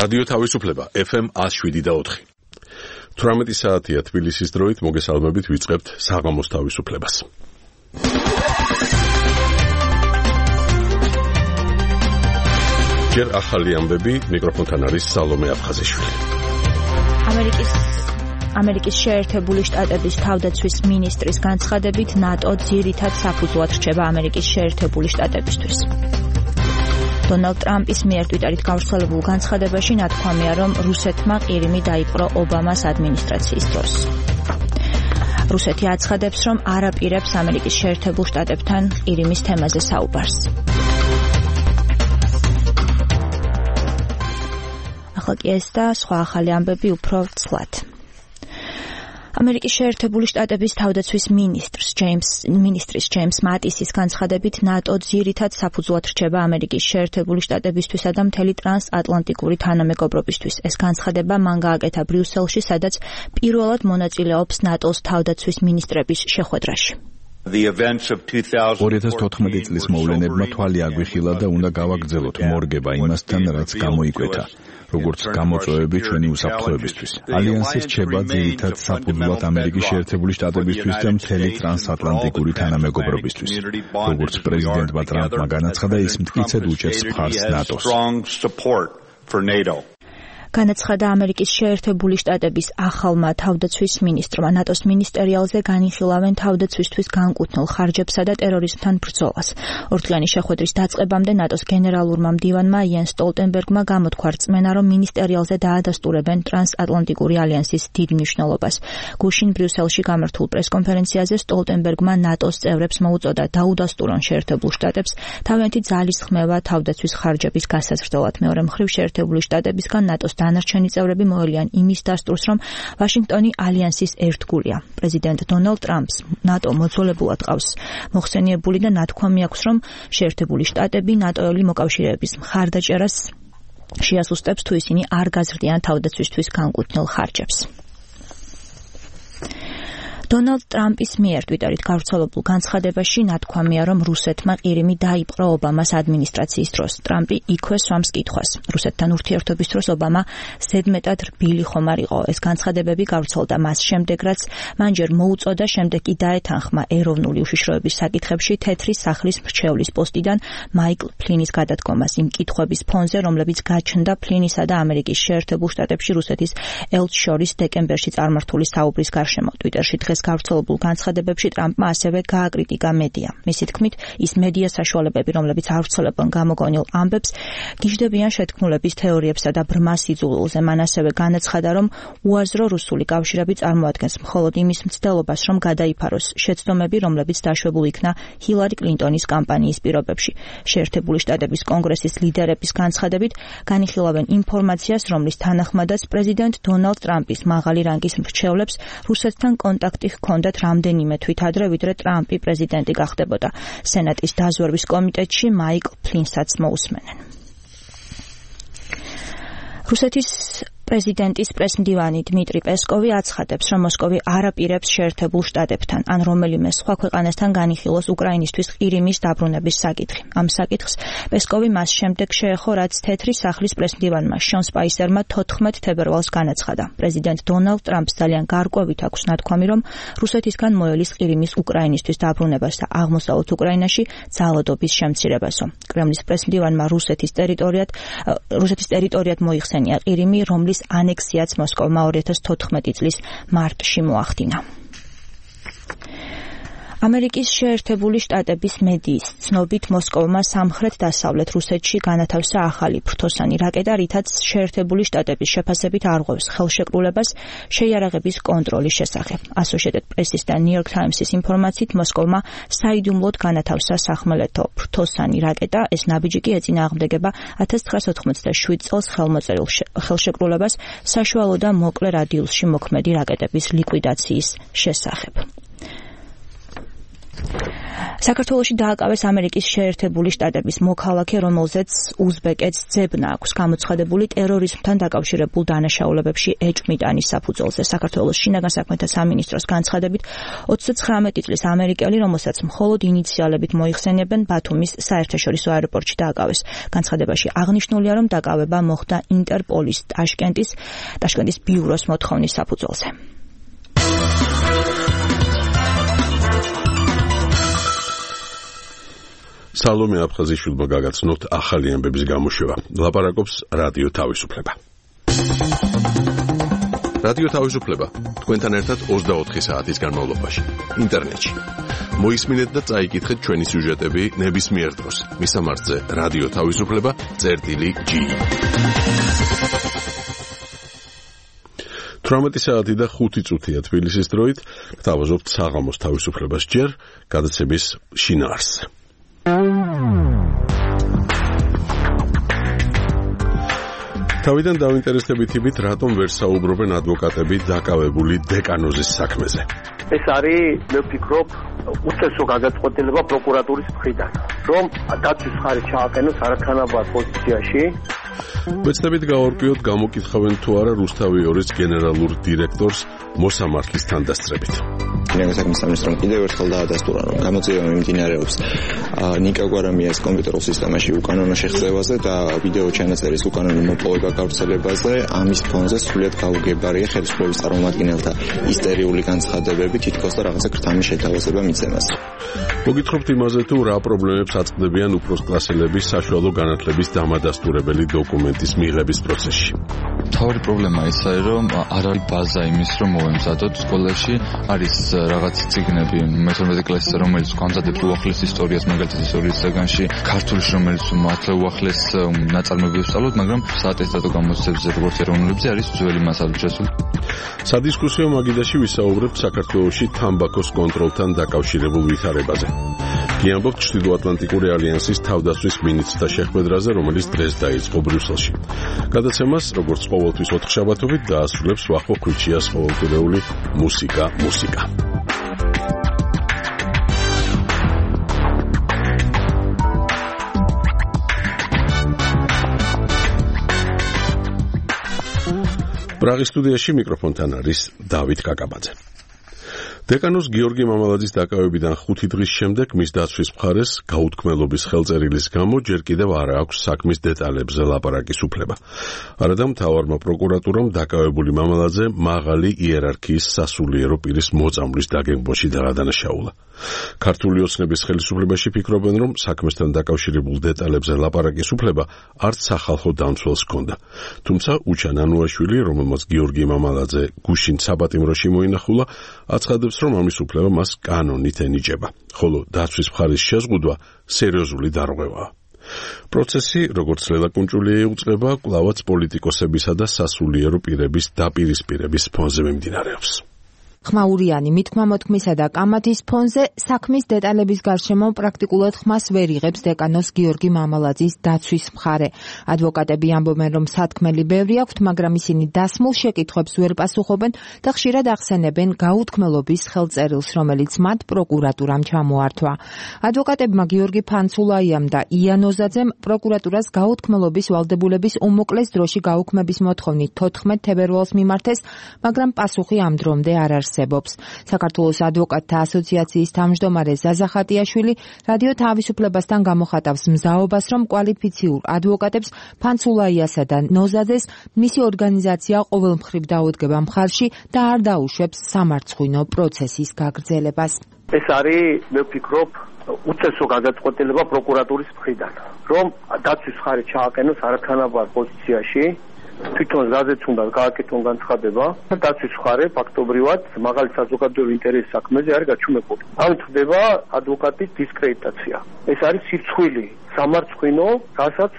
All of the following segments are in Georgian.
რადიო თავისუფლება FM 107.4. 18 საათია თბილისის დროით, მოგესალმებით, ვიწყებთ საღამოს თავისუფლებას. ჯერ ახალი ამბები, მიკროფონთან არის სალომე აფხაზიშვილი. ამერიკის შეერთებული შტატების თავდაცვის მინისტრის განცხადებით, ნატო ძირითად საფუძვლად რჩება ამერიკის შეერთებული შტატებისთვის. დონალდ ტრამპის მიერ ტვიტერით გავრცელებულ განცხადებაში ნათქვამია, რომ რუსეთმა ყირიმი დაიპყრო ობამას ადმინისტრაციის დროს. რუსეთი აცხადებს, რომ არ აპირებს ამერიკის შეერთებულ შტატებთან ყირიმის თემაზე საუბარს. ახლა კი ეს და სხვა ახალი ამბები უფრო ცლად. ამერიკის შეერთებული შტატების თავდაცვის მინისტრის ჯეიმს მატისის განცხადებით, ნატო ძირითად საფუძვლად რჩება ამერიკის შეერთებული შტატებისთვისა და მთელი ტრანსატლანტიკური თანამეგობრობისთვის. ეს განცხადება მან გააკეთა ბრიუსელში, სადაც პირველად მონაწილეობს ნატოს თავდაცვის მინისტრების შეხვედრაში. 2014 წლის მოვლენებმა თვალი აგვიხილა და უნდა გავაგრძელოთ მორგება იმასთან, რაც გამოიკვეთა. როგორც გამოწვევები ჩვენი უსაფრთხოებისთვის. ალიანსი რჩება ძირითად საფუძვლად ამერიკის შეერთებული შტატებისთვის და მთელი ტრანსატლანტიკური თანამეგობრობისთვის. როგორც პრეზიდენტმა ტრამპმა განაცხადა, ის მტკიცედ უჭერს მხარს ნატოს. განაცხადა ამერიკის შეერთებული შტატების ახალმა თავდაცვის მინისტრმა. ნატოს მინისტერიალზე განიხილავენ თავდაცვისთვის განკუთვნილ ხარჯებსა და ტერორიზმთან ბრძოლას. ორდღიანი შეხვედრის დაწყებამდე ნატოს გენერალურმა მდივანმა იენს სტოლტენბერგმა გამოთქვა რწმენა, რომ მინისტერიალზე დაადასტურებენ ტრანსატლანტიკური ალიანსის დიდ მნიშვნელობას. გუშინ ბრიუსელში გამართულ პრესკონფერენციაზე სტოლტენბერგმა ნატოს წევრებს მოუწოდა დაუდასტურონ შეერთებულ შტატებს თავიანთი ძალის ხმევა თავდაცვის ხარჯების გასაზრდელად. მეორე მხრივ შეერთებული შტატებისგან ნატოს დანარჩენი წევრები მოელიან იმის დასტურს, რომ ვაშინგტონი ალიანსის ერთგულია. პრეზიდენტ დონალდ ტრამპს ნატო მოძველებულად ყავს მოხსენიებული და ნათქვამი აქვს, რომ შეერთებული შტატები ნატოელი მოკავშირეების მხარდაჭერას შეასუსტებს, თუ ისინი არ გაზრდიან თავდაცვისთვის განკუთვნილ ხარჯებს. დონალდ ტრამპის მიერ ტვიტერით გავრცელებულ განცხადებაში ნათქვამია, რომ რუსეთმა ყირიმი დაიპყრო ობამას ადმინისტრაციის დროს. ტრამპი იქვე სვამს კითხვას. რუსეთთან ურთიერთობის დროს ობამა ზედმეტად რბილი ხომ არ იყო. ეს განცხადებები გავრცელდა მას შემდეგ, რაც მან ჯერ მოუწოდა, შემდეგ კი დაეთანხმა ეროვნული უშიშროების საკითხებში თეთრი სახლის მრჩევლის პოსტიდან მაიკლ ფლინის გადადგომას იმ კითხვების ფონზე, რომლებიც გაჩნდა ფლინისა და ამერიკის შეერთებულ შტატებში რუსეთის ელჩს შორის დეკემბერში წარმართული საუბრის გარშემო. ტვიტერში დღეს გავრცელებულ განცხადებებში ტრამპმა ასევე გააკრიტიკა მედია. მისი თქმით, ის მედია საშუალებები, რომლებიც ავრცელებენ გამოგონილ ამბებს, გიждდებიან შეთქმულების თეორიებსა და ბრმა სიძულვილზე. მან ასევე განაცხადა, რომ უაზრო რუსული კავშირები წარმოადგენს მხოლოდ იმის მცდელობას, რომ გადაიფაროს შეცდომები, რომლებიც დაშვებულ იქნა ჰილარი კლინტონის კამპანიის პირობებში. შეერთებული შტატების კონგრესის ლიდერების განცხადებით განიხილავენ ინფორმაციას, რომლის თანახმადაც პრეზიდენტ დონალდ ტრამპის მაღალი რანგის მრჩევლებს რუსეთთან კონტაქტი ჰქონდათ რამდენიმე თვით ადრე, ვიდრე ტრამპი პრეზიდენტი გახდებოდა. სენატის დაზვერვის კომიტეტში მაიკლ ფლინსაც მოусმენენ. რუსეთის პრეზიდენტის პრესმდივანი დმიტრი პესკოვი აცხადებს, რომ მოსკოვი არ აპირებს შეერთებულ შტატებთან ან რომელიმე სხვა ქვეყანასთან განიხილოს უკრაინისთვის ყირიმის დაბრუნების საკითხი. ამ საკითხს პესკოვი მას შემდეგ შეეხო, რაც თეთრი სახლის პრესმდივანმა შონ სპაისერმა 14 თებერვალს განაცხადა. პრეზიდენტ დონალდ ტრამპს ძალიან გარკვევით აქვს ნათქვამი, რომ რუსეთისგან მოელის ყირიმის უკრაინისთვის დაბრუნებას და აღმოსავლეთ უკრაინაში ძალადობის შემცირებასო. კრემლის პრესმდივანმა რუსეთის ტერიტორიად მოიხსენია ყირიმი, რომლის ანექსიაც მოსკოვმა 2014 წლის მარტში მოახდინა. ამერიკის შეერთებული შტატების მედიის ცნობით მოსკოვმა სამხრეთ-დასავლეთ რუსეთში განათავსა ახალი ფრთოსანი რაკეტა, რითაც შეერთებული შტატების შეფასებით არღვევს ხელშეკრულებას შეიარაღების კონტროლის შესახებ. Associated Press-ის და New York Times-ის ინფორმაციით მოსკოვმა საიდუმლოდ განათავსა სახმელეთო ფრთოსანი რაკეტა. ეს ნაბიჯი კი ეწინააღმდეგება 1997 წელს ხელმოწერილ ხელშეკრულებას საშუალო და მოკლე რადიუსში მოქმედი რაკეტების ლიკვიდაციის შესახებ. საქართველოში დააკავეს ამერიკის შეერთებული შტატების მოქალაქე, რომელზეც უზბეკეთს ძებნა აქვს გამოცხადებული ტერორიზმთან დაკავშირებულ დანაშაულებებში ეჭვმიტანის საფუძველზე. საქართველოს შინაგან საქმეთა სამინისტროს განცხადებით 39 წლის ამერიკელი, რომელსაც მხოლოდ ინიციალებით მოიხსენებენ, ბათუმის საერთაშორისო აეროპორტში დააკავეს. განცხადებაში აღნიშნულია, რომ დაკავება მოხდა ინტერპოლის ტაშკენტის ბიუროს მოთხოვნის საფუძველზე. სალომე აფხაზიშვილმა გაგაცნოთ ახალი ამბების გამოშვება. ლაპარაკობს რადიო თავისუფლება. რადიო თავისუფლება თქვენთან ერთად 24 საათის განმავლობაში ინტერნეტში. მოისმინეთ და წაიკითხეთ ჩვენი სიუჟეტები ნებისმიერ დროს. მისამართზე რადიო თავისუფლება.gi 18 საათი და 5 წუთია თბილისის დროით. გთავაზობთ საღამოს თავისუფლებას ჯერ გადაცემის შინაარსზე. თავიდან დავინტერესდებითებით, რატომ ვერ საუბრობენ ადვოკატები დაკავებული დეკანოზის საქმეზე. ეს არის, მე ვფიქრობ, უწესო გადაწყვეტილება პროკურატურის მხრიდან, რომ დაცვის მხარე ჩააყენოს არათანაბარ პოზიციაში. ვეცდებით გავარკვიოთ, გამოკითხავენ თუ არა რუსთავი 2-ის გენერალურ დირექტორს მოსამართლის თანდასწრებით. შინაგან საქმეთა სამინისტრომ კიდევ ერთხელ დაადასტურა, რომ გამოძიება მიმდინარეობს ნიკა გვარამიას კომპიუტერულ სისტემაში უკანონო შეღწევაზე და ვიდეო ჩანაწერის უკანონო მოპოვება გავრცელებაზე. ამის ფონზე სრულიად გაუგებარია ხელისუფლების წარმომადგენელთა ისტერიული განცხადებები, თითქოს და რაღაცა ქრთამის შეთავაზება მიცემას. მოგითხრობთ იმაზე, თუ რა პრობლემებს აწყდებიან უფროსკლასელების საშუალო განათლების დამადასტურებელი დოკუმენტის მიღების პროცესში. თავი პრობლემა ისაა, რომ არ არის ბაზა იმის, რომ მოვემზადოთ სკოლაში, არის რაღაც ციგნები მე-12 კლასზე, რომელიც გვამზადებს უახლეს ისტორიას, მაგალითად ისტორიის საგანში, ქართულში, რომელიც მართლა უახლეს ნაწარმოებებს ვსწავლობთ, მაგრამ საატესტატო გამოცდებზე, როგორც ეროვნულებზე, არის ძველი მასალა შესული. სადისკუსიო მაგიდაში ვისაუბრებთ საქართველოში თამბაქოს კონტროლთან დაკავშირებულ ვითარებაზე. გიამბობთ ჩრდილოატლანტიკური ალიანსის თავდაცვის მინისტრთა შეხვედრაზე, რომელიც დღეს დაიწყო ბრიუსელში. გადაცემას, როგორც ყოველთვის 4 შაბათობით, დაასრულებს ვახო ხვიჩიას ყოველკვირეული მუსიკა. პრაღის სტუდიაში მიკროფონთან არის დავით კაკაბაძე. დეკანოს გიორგი მამალაძის დაკავებიდან 5 დღის შემდეგ მის დაცვის მხარეს გაუთქმელობის ხელწერილის გამო ჯერ კიდევ არ აქვს საქმის დეტალებზე ლაპარაკის უფლება. არადა მთავარმა პროკურატურამ დაკავებული მამალაძე მაღალი იერარქიის სასულიერო პირის მოწამვლის დაგეგმვაში დაადანაშაულა. ქართული ოცნების ხელისუფლებაში ფიქრობენ, რომ საქმესთან დაკავშირებულ დეტალებზე ლაპარაკის უფლება არც სახალხო დამცველს ჰქონდა. თუმცა უჩან ანუაშვილი, რომელმაც გიორგი მამალაძე გუშინ საპატიმროში მოინახულა, აცხადებს, რომ ამის უფლება მას კანონით ენიჭება, ხოლო დაცვის მხარის შეზღუდვა სერიოზული დარღვევაა. პროცესი, როგორც ლელაკუნჭული ეუწყება, კვლავაც პოლიტიკოსებისა და სასულიერო პირების დაპირისპირების ფონზე მიმდინარეობს. ხმაურიანი მითქმა-მოთქმისა და კამათის ფონზე საქმის დეტალების გარშემო პრაქტიკულად ხმას ვერ იღებს დეკანოს გიორგი მამალაძის დაცვის მხარე. ადვოკატები ამბობენ, რომ სათქმელი ბევრი აქვთ, მაგრამ ისინი დასმულ შეკითხვებს ვერ პასუხობენ და ხშირად ახსენებენ გაუთქმელობის ხელწერილს, რომელიც მათ პროკურატურამ ჩამოართვა. ადვოკატებმა გიორგი ფანცულაიამ და იან ოზაძემ პროკურატურას გაუთქმელობის ვალდებულების უმოკლეს დროში გაუქმების მოთხოვნით 14 თებერვალს მიმართეს, მაგრამ პასუხი ამ დრომდე არ არის. საქართველოს ადვოკატთა ასოციაციის თავმჯდომარე ზაზა ხატიაშვილი რადიო თავისუფლებასთან გამოხატავს მზაობას, რომ კვალიფიციურ ადვოკატებს ფანცულაიასა და ნოზაძეს მისი ორგანიზაცია ყოველმხრივ დაუდგება მხარში და არ დაუშვებს სამარცხვინო პროცესის გაგრძელებას. ეს არის, მე ვფიქრობ, უწესო გადაწყვეტილება პროკურატურის მხრიდან, რომ დაცვის მხარე ჩააყენოს არათანაბარ პოზიციაში. თვითონ ზაზეც უნდა გააკეთონ განცხადება, დაცვის მხარე ფაქტობრივად მაღალი საზოგადოებრივი ინტერესის საქმეზე არის გაჩუმებული. ამით ხდება ადვოკატის დისკრედიტაცია. ეს არის სირცხვილი, სამარცხვინო, რასაც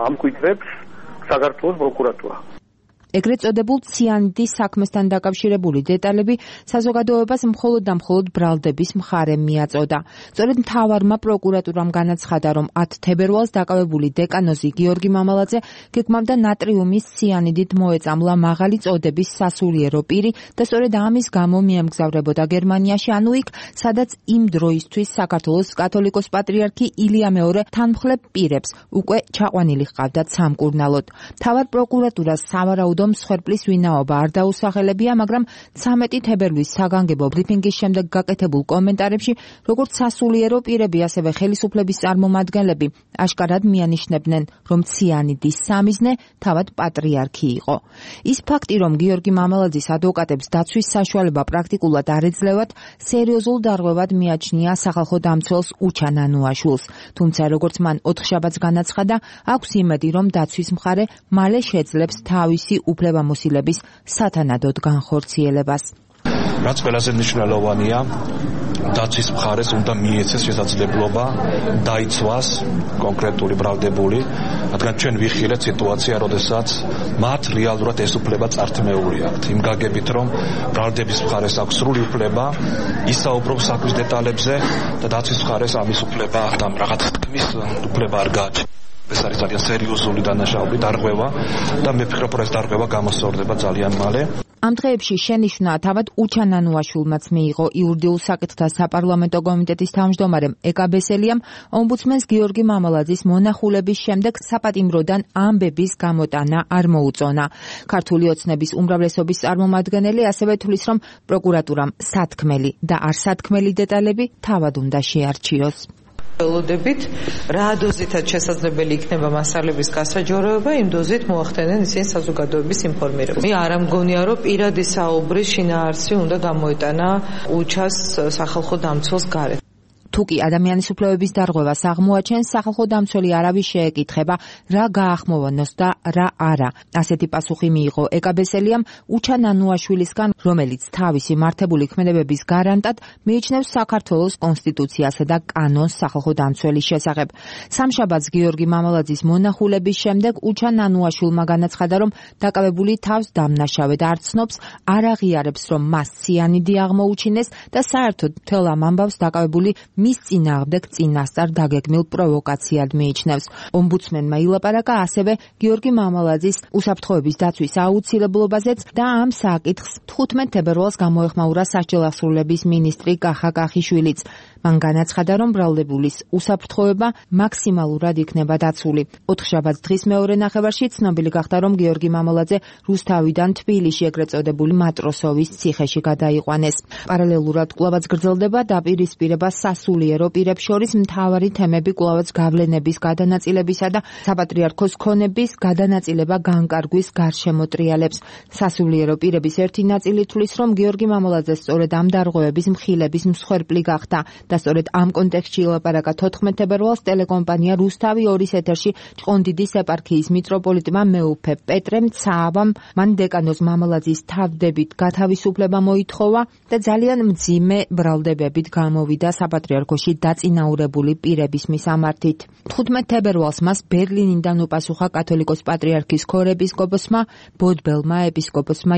ამკვიდრებს საქართველოს პროკურატურა. ეგრეთ წოდებულ ციანიდის საქმესთან დაკავშირებული დეტალები საზოგადოებას მხოლოდ და მხოლოდ ბრალდების მხარემ მიაწოდა. სწორედ მთავარმა პროკურატურამ განაცხადა, რომ 10 თებერვალს დაკავებული დეკანოზი გიორგი მამალაძე გეგმავდა ნატრიუმის ციანიდით მოეწამლა მაღალი წოდების სასულიერო პირი და სწორედ ამის გამო მიემგზავრებოდა გერმანიაში, ანუ იქ, სადაც იმ დროისთვის საქართველოს კათოლიკოს პატრიარქი ილია მეორე თანმხლებ პირებს უკვე ჩაყვანილი ჰყავდათ სამკურნალოდ. მთავარ პროკურატურას სავარაუდო მსხვერპლის ვინაობა არ დაუსახელებია, მაგრამ 13 თებერვლის საგანგებო ბრიფინგის შემდეგ გაკეთებულ კომენტარებში, როგორც სასულიერო პირები, ასევე ხელისუფლების წარმომადგენლები აშკარად მიანიშნებდნენ, რომ ციანიდის სამიზნე თავად პატრიარქი იყო. ის ფაქტი, რომ გიორგი მამალაძის ადვოკატებს დაცვის საშუალება პრაქტიკულად არ ეძლევათ, სერიოზულ დარღვევად მიაჩნია სახალხო დამცველს უჩა ნანუაშვილს. თუმცა, როგორც მან ოთხშაბათს განაცხადა, აქვს იმედი, რომ დაცვის მხარე მალე შეძლებს თავისი უფლებამოსილების სათანადოდ განხორციელებას. რაც ყველაზე მნიშვნელოვანია, დაცვის მხარეს უნდა მიეცეს შესაძლებლობა დაიცვას კონკრეტული ბრალდებული, რადგან ჩვენ ვიხილეთ სიტუაცია, როდესაც მათ რეალურად ეს უფლება წართმეული აქვთ. იმ გაგებით, რომ ბრალდების მხარეს აქვს სრული უფლება ისაუბროს საქმის დეტალებზე და დაცვის მხარეს ამის უფლება და რაღაც თქმის უფლება არ გააჩნია. ეს არის ძალიან სერიოზული დანაშაული, დარღვევა და მე ვფიქრობ, რომ ეს დარღვევა გამოსწორდება ძალიან მალე. ამ დღეებში შენიშვნა თავად უჩა ნანუაშვილმაც მიიღო იურიდიულ საკითხთა საპარლამენტო კომიტეტის თავმჯდომარემ ეკა ბესელიამ ომბუდსმენს გიორგი მამალაძის მონახულების შემდეგ საპატიმროდან ამბების გამოტანა არ მოუწონა. ქართული ოცნების უმრავლესობის წარმომადგენელი ასევე თვლის, რომ პროკურატურამ სათქმელი და არსათქმელი დეტალები თავად უნდა შეარჩიოს. ველოდებით, რა დოზითაც შესაძლებელი იქნება მასალების გასაჯოროება, იმ დოზით მოახდენენ ისინი საზოგადოების ინფორმირებას. მე არ ამგონია, რომ პირადი საუბრის შინაარსი უნდა გამოეტანა უჩას სახალხო დამცველს გარეთ. თუკი ადამიანის უფლებების დარღვევას აღმოაჩენს, სახალხო დამცველი არავის შეეკითხება, რა გაახმოვანოს და რა არა. ასეთი პასუხი მიიღო ეკა ბესელიამ უჩა ნანუაშვილისგან, რომელიც თავისი მართებული ქმედებების გარანტად მიიჩნევს საქართველოს კონსტიტუციასა და კანონს სახალხო დამცველის შესახებ. სამშაბათს გიორგი მამალაძის მონახულების შემდეგ უჩა ნანუაშვილმა განაცხადა, რომ დაკავებული თავს დამნაშავედ არ ცნობს, არ აღიარებს, რომ მას ციანიდი აღმოუჩინეს და საერთოდ მთელ ამ ამბავს დაკავებული მის წინააღმდეგ წინასწარ დაგეგმილ პროვოკაციად მიიჩნევს. ომბუდსმენმა ილაპარაკა ასევე გიორგი მამალაძის უსაფრთხოების დაცვის აუცილებლობაზეც და ამ საკითხს 15 თებერვალს გამოეხმაურა სასჯელ ასრულების მინისტრი კახა კახიშვილიც. მან განაცხადა, რომ ბრალდებულის უსაფრთხოება მაქსიმალურად იქნება დაცული. ოთხშაბათს დღის მეორე ნახევარში ცნობილი გახდა, რომ გიორგი მამალაძე რუსთავიდან თბილისში ეგრეთ წოდებული მატროსოვის ციხეში გადაიყვანეს. პარალელურად კვლავაც გრძელდება დაპირისპირება სასულიერო პირებს შორის მთავარი თემები კვლავაც გავლენების გადანაწილებისა და საპატრიარქოს ქონების გადანაწილება განკარგვის გარშემო ტრიალებს. სასულიერო პირების ერთი ნაწილი თვლის, რომ გიორგი მამალაძე სწორედ ამ დარღვევების მხილების მსხვერპლი გახდა და სწორედ ამ კონტექსტში ილაპარაკა 14 თებერვალს ტელეკომპანია რუსთავი 2-ის ეთერში ჭყონდიდის ეპარქიის მიტროპოლიტმა მეუფე პეტრე მცაავამ მან დეკანოზ მამალაძის თავდებით გათავისუფლება მოითხოვა და ძალიან მძიმე ბრალდებებით გამოვიდა საპატრიარქოში დაწინაურებული პირების მისამართით. 15 თებერვალს მას ბერლინიდან უპასუხა კათოლიკოს პატრიარქის ქორეპისკოპოსმა ბოდბელმა ეპისკოპოსმა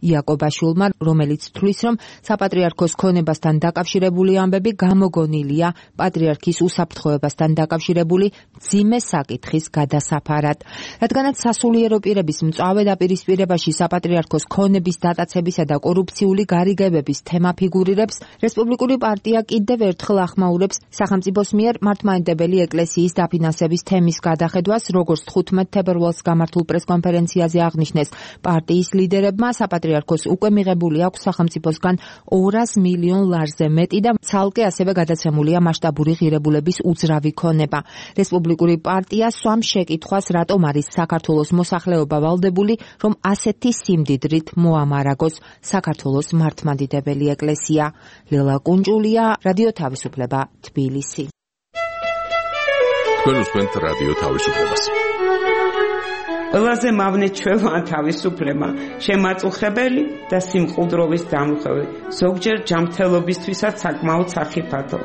იაკობაშვილმა, რომელიც თვლის, რომ საპატრიარქოს ქონებასთან დაკავშირებული ამბები გამოგონილია პატრიარქის უსაფრთხოებასთან დაკავშირებული მძიმე საკითხის გადასაფარად. რადგანაც სასულიერო პირების მწვავე დაპირისპირებაში საპატრიარქოს ქონების დატაცებისა და კორუფციული გარიგებების თემა ფიგურირებს, რესპუბლიკური პარტია კიდევ ერთხელ ახმაურებს სახელმწიფოს მიერ მართლმადიდებელი ეკლესიის დაფინანსების თემის გადახედვას, როგორც 15 თებერვალს გამართულ პრესკონფერენციაზე აღნიშნეს პარტიის ლიდერებმა, საპატრიარქოს უკვე მიღებული აქვს სახელმწიფოსგან 200 მილიონ ლარზე მეტი და ცალკე ასევე გადაცემულია მასშტაბური ღირებულების უძრავი ქონება. რესპუბლიკური პარტია სვამს შეკითხვას, რატომ არის საქართველოს მოსახლეობა ვალდებული, რომ ასეთი სიმდიდრით მოამარაგოს საქართველოს მართლმადიდებელი ეკლესია. ლელა კუნჭულია, რადიო თავისუფლება, თბილისი. თქვენ უსმენთ რადიო თავისუფლებას. ყველაზე მავნე ჩვევა თავისუფლება, შემაწუხებელი და სიმყუდროვის დამხევი, ზოგჯერ ჯანმრთელობისთვისაც საკმაოდ სახიფათო.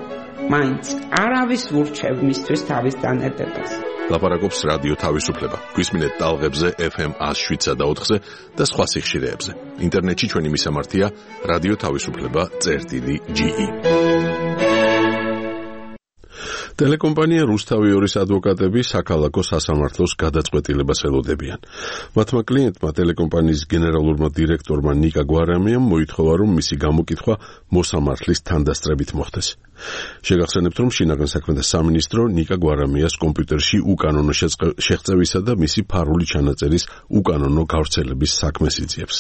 მაინც არავის ურჩევ მისთვის თავის დანებებას. ლაპარაკობს რადიო თავისუფლება. გვისმინეთ ტალღებზე FM 107.4-ზე და სხვა სიხშირეებზე. ინტერნეტში ჩვენი მისამართია რადიო თავისუფლება.ge. ტელეკომპანია რუსთავი 2-ის ადვოკატები საქალაქო სასამართლოს გადაწყვეტილებას ელოდებიან. მათმა კლიენტმა ტელეკომპანიის გენერალურმა დირექტორმა ნიკა გვარამიამ მოითხოვა, რომ მისი გამოკითხვა მოსამართლის თანდასწრებით მოხდეს. შეგახსენებთ, რომ შინაგან საქმეთა სამინისტრო ნიკა გვარამიას კომპიუტერში უკანონო შეღწევისა და მისი ფარული ჩანაწერის უკანონო გავრცელების საქმეს იძიებს.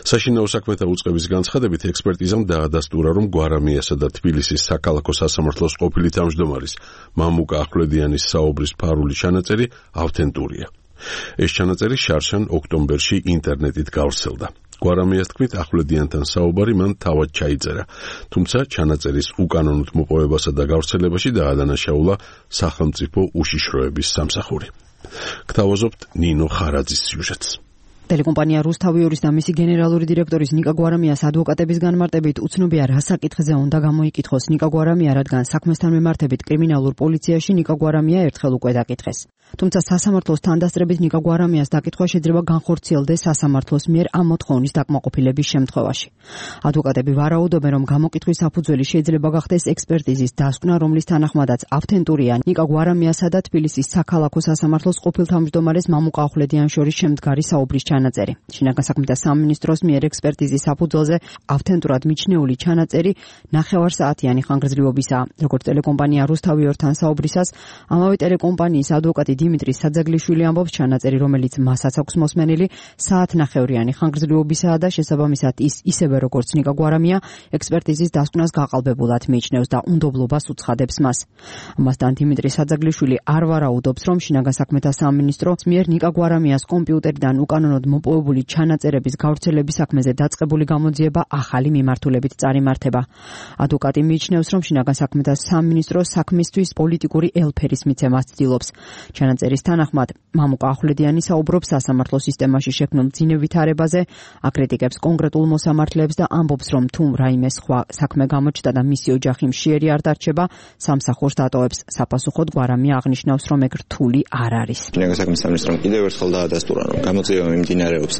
საშინაო საქმეთა უწყების განცხადებით ექსპერტიზამ დაადასტურა, რომ გვარამიასა და თბილისის საქალაქო სასამართლოს ყოფილი თავმჯდომარის მამუკა ახვლედიანის საუბრის ფარული ჩანაწერი ავთენტურია. ეს ჩანაწერი შარშან ოქტომბერში ინტერნეტით გავრცელდა. გვარამიას თქმით, ახვლედიანთან საუბარი მან თავად ჩაიწერა, თუმცა ჩანაწერის უკანონოდ მოპოვებასა და გავრცელებაში დაადანაშაულა სახელმწიფო უშიშროების სამსახური. გთავაზობთ ნინო ხარაძის სიუჟეტს. ტელეკომპანია რუსთავი 2-ის და მისი გენერალური დირექტორის ნიკა გვარამიას ადვოკატების განმარტებით უცნობია რა საკითხზე უნდა გამოიკითხოს ნიკა გვარამია, რადგან საქმესთან მიმართებით კრიმინალურ პოლიციაში ნიკა გვარამია ერთხელ უკვე დაკითხეს. თუმცა სასამართლოს თანდასწრებით ნიკა გვარამიას დაკითხვა შეიძლება განხორციელდეს სასამართლოს მიერ ამ მოთხოვნის დაკმაყოფილების შემთხვევაში. ადვოკატები ვარაუდობენ, რომ გამოკითხვის საფუძველი შეიძლება გახდეს ექსპერტიზის დასკვნა, რომლის თანახმადაც ავთენტურია ნიკა გვარამიასა და თბილისის საქალაქო სასამართლოს ყოფილ თავმჯდომარეს მამუკა ახვლედიან შორის შემდგარი საუბრის ჩანაწერი. შინაგან საქმეთა სამინისტროს მიერ ექსპერტიზის საფუძველზე ავთენტურად მიჩნეული ჩანაწერი 9 საათიანი ხანგრძლივობისაა. როგორც ტელეკომპანია რუსთავი 2-თან საუბრისას, ამავე ტელეკომპანიის ადვოკატი დიმიტრი საძაგლიშვილი ამბობს, ჩანაწერი, რომელიც მასაც აქვს მოსმენილი, საათნახევრიანი ხანგრძლივობისაა და შესაბამისად ის ისევე როგორც ნიკა გვარამია ექსპერტიზის დასკვნას გაყალბებულად მიიჩნევს და უნდობლობას უცხადებს მას. ამასთან დიმიტრი საძაგლიშვილი არ ვარაუდობს, რომ შინაგან საქმეთა სამინისტროს მიერ ნიკა გვარამიას კომპიუტერიდან უკანონოდ მოპოვებული ჩანაწერების გავრცელების საქმეზე დაწყებული გამოძიება ახალი მიმართულებით წარიმართება. ადვოკატი მიიჩნევს, რომ შინაგან საქმეთა სამინისტრო საქმისთვის პოლიტიკური ელფერის მიცემას ცდილობს. ჩანაწერის თანახმად, მამუკა ახვლედიანი საუბრობს სასამართლო სისტემაში შექმნილ მძიმე ვითარებაზე, აკრიტიკებს კონკრეტულ მოსამართლეებს და ამბობს, რომ თუ რაიმე სხვა საქმე გამოჩნდა და მისი ოჯახი მშიერი არ დარჩება, სამსახურს დატოვებს. საპასუხოდ გვარამია აღნიშნავს, რომ ეგ რთული არ არის. შინაგან საქმეთა სამინისტრომ კიდევ ერთხელ დაადასტურა, რომ გამოძიება მიმდინარეობს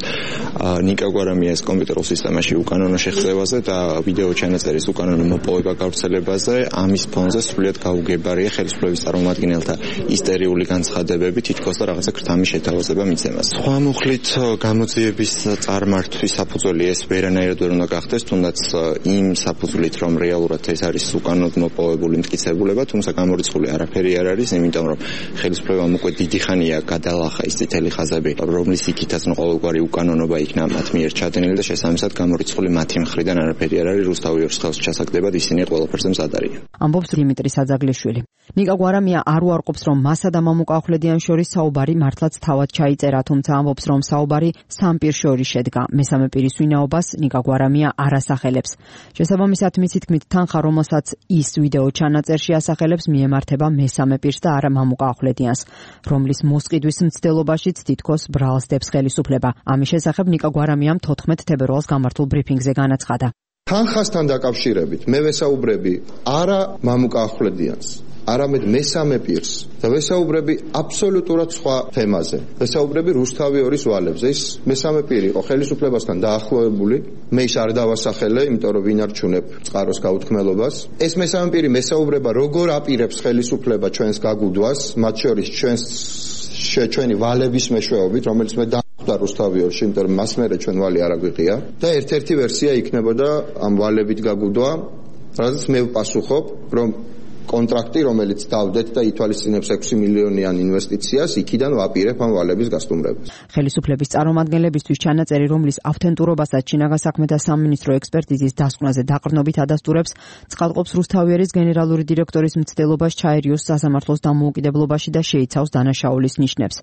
ნიკა გვარამიას კომპიუტერულ სისტემაში უკანონო შეღწევაზე და ვიდეო ჩანაწერის უკანონო მოპოვება გავრცელებაზე. ამის ფონზე სრულიად გაუგებარია ხელისუფლების წარმომადგენელთა ისტერიული განცხადებები, თითქოს და რაღაცა ქრთამის შეთავაზება მიცემას. სხვა მუხლით გამოძიების წარმართვის საფუძველი ეს ვერანაირად ვერ უნდა გახდეს, თუნდაც იმ საფუძვლით, რომ რეალურად ეს არის უკანონოდ მოპოვებული მტკიცებულება, თუმცა გამორიცხული არაფერი არ არის, იმიტომ რომ ხელისუფლებამ უკვე დიდი ხანია გადალახა ის წითელი ხაზები, რომლის იქითაც ყოველგვარი უკანონობა იქნა მათ მიერ ჩადენილი და შესაბამისად გამორიცხული მათი მხრიდან არაფერი არ არის რუსთავი 2-ის ხელს ჩასაგდებად ისინი ყველაფერზე მზად არიან. ამბობს დიმიტრი საძაგლიშვილი. ნიკა გვარამია არ უარყოფს, რომ მასა და მამუკა ახვლედიან შორის საუბარი მართლაც თავად ჩაიწერა, თუმცა ამბობს, რომ საუბარი სამ პირს შორის შედგა. მესამე პირის ვინაობას ნიკა გვარამია არ ასახელებს. შესაბამისად, მისი თქმით, თანხა, რომელსაც ის ვიდეო ჩანაწერში ასახელებს, მიემართება მესამე პირს და არა მამუკა ახვლედიანს, რომლის მოსყიდვის მცდელობაშიც თითქოს ბრალს დებს ხელისუფლება. ამის შესახებ ნიკა გვარამიამ 14 თებერვალს გამართულ ბრიფინგზე განაცხადა. თანხასთან დაკავშირებით მე ვესაუბრები არა მამუკა ახვლედიანს, არამედ მესამე პირს და ვესაუბრები აბსოლუტურად სხვა თემაზე. ვესაუბრები რუსთავი 2-ის ვალებზე. ის მესამე პირი იყო ხელისუფლებასთან დაახლოებული. მე ის არ დავასახელე, იმიტომ რომ ვინ არჩუნებ წყაროს გაუთქმელობას. ეს მესამე პირი მესაუბრება როგორ აპირებს ხელისუფლება ჩვენს გაგუდვას, მათ შორის ჩვენი ვალების მეშვეობით, რომელიც მე და რუსთავი 2-ში, იმიტომ რომ მას მერე ჩვენ ვალი არ აგვიღია და ერთ-ერთი ვერსია იქნებოდა ამ ვალებით გაგუდვა, რადგან მე ვპასუხობ, რომ კონტრაქტი, რომელიც დავდეთ და ითვალისწინებს 6 მილიონიან ინვესტიციას, იქიდან ვაპირებ ამ ვალების გასტუმრებას. ხელისუფლების წარმომადგენლებისთვის ჩანაწერი, რომლის ავთენტურობასაც შინაგან საქმეთა სამინისტრო ექსპერტიზის დასკვნაზე დაყრდნობით ადასტურებს, ცხადყოფს რუსთავი 2-ის გენერალური დირექტორის მცდელობას ჩაერიოს სასამართლოს დამოუკიდებლობაში და შეიცავს დანაშაულის ნიშნებს.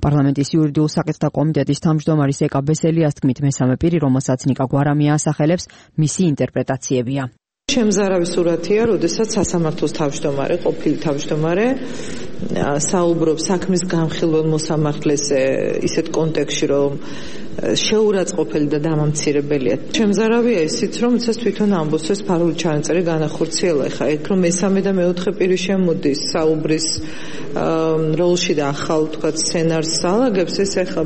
პარლამენტის იურიდიულ საკითხთა კომიტეტის თავმჯდომარის ეკა ბესელიას თქმით, მესამე პირი, რომელსაც ნიკა გვარამია ასახელებს, მისი ინტერპრეტაციებია. შემზარავი სურათია, როდესაც სასამართლოს თავმჯდომარე, ყოფილი თავმჯდომარე საუბრობს საქმის განხილველ მოსამართლეს ისეთ კონტექსტში, რომ შეურაცხყოფელი და დამამცირებელია. შემზარავია ისიც, რომ იცას თვითონ ამბობს, ეს ფარული ჩანაწერი განახორციელა. ეხლა ეგ რომ მესამე და მეოთხე პირი შემოდის საუბრის როლში და ახალ თქვა სცენარს ალაგებს, ეს ეხლა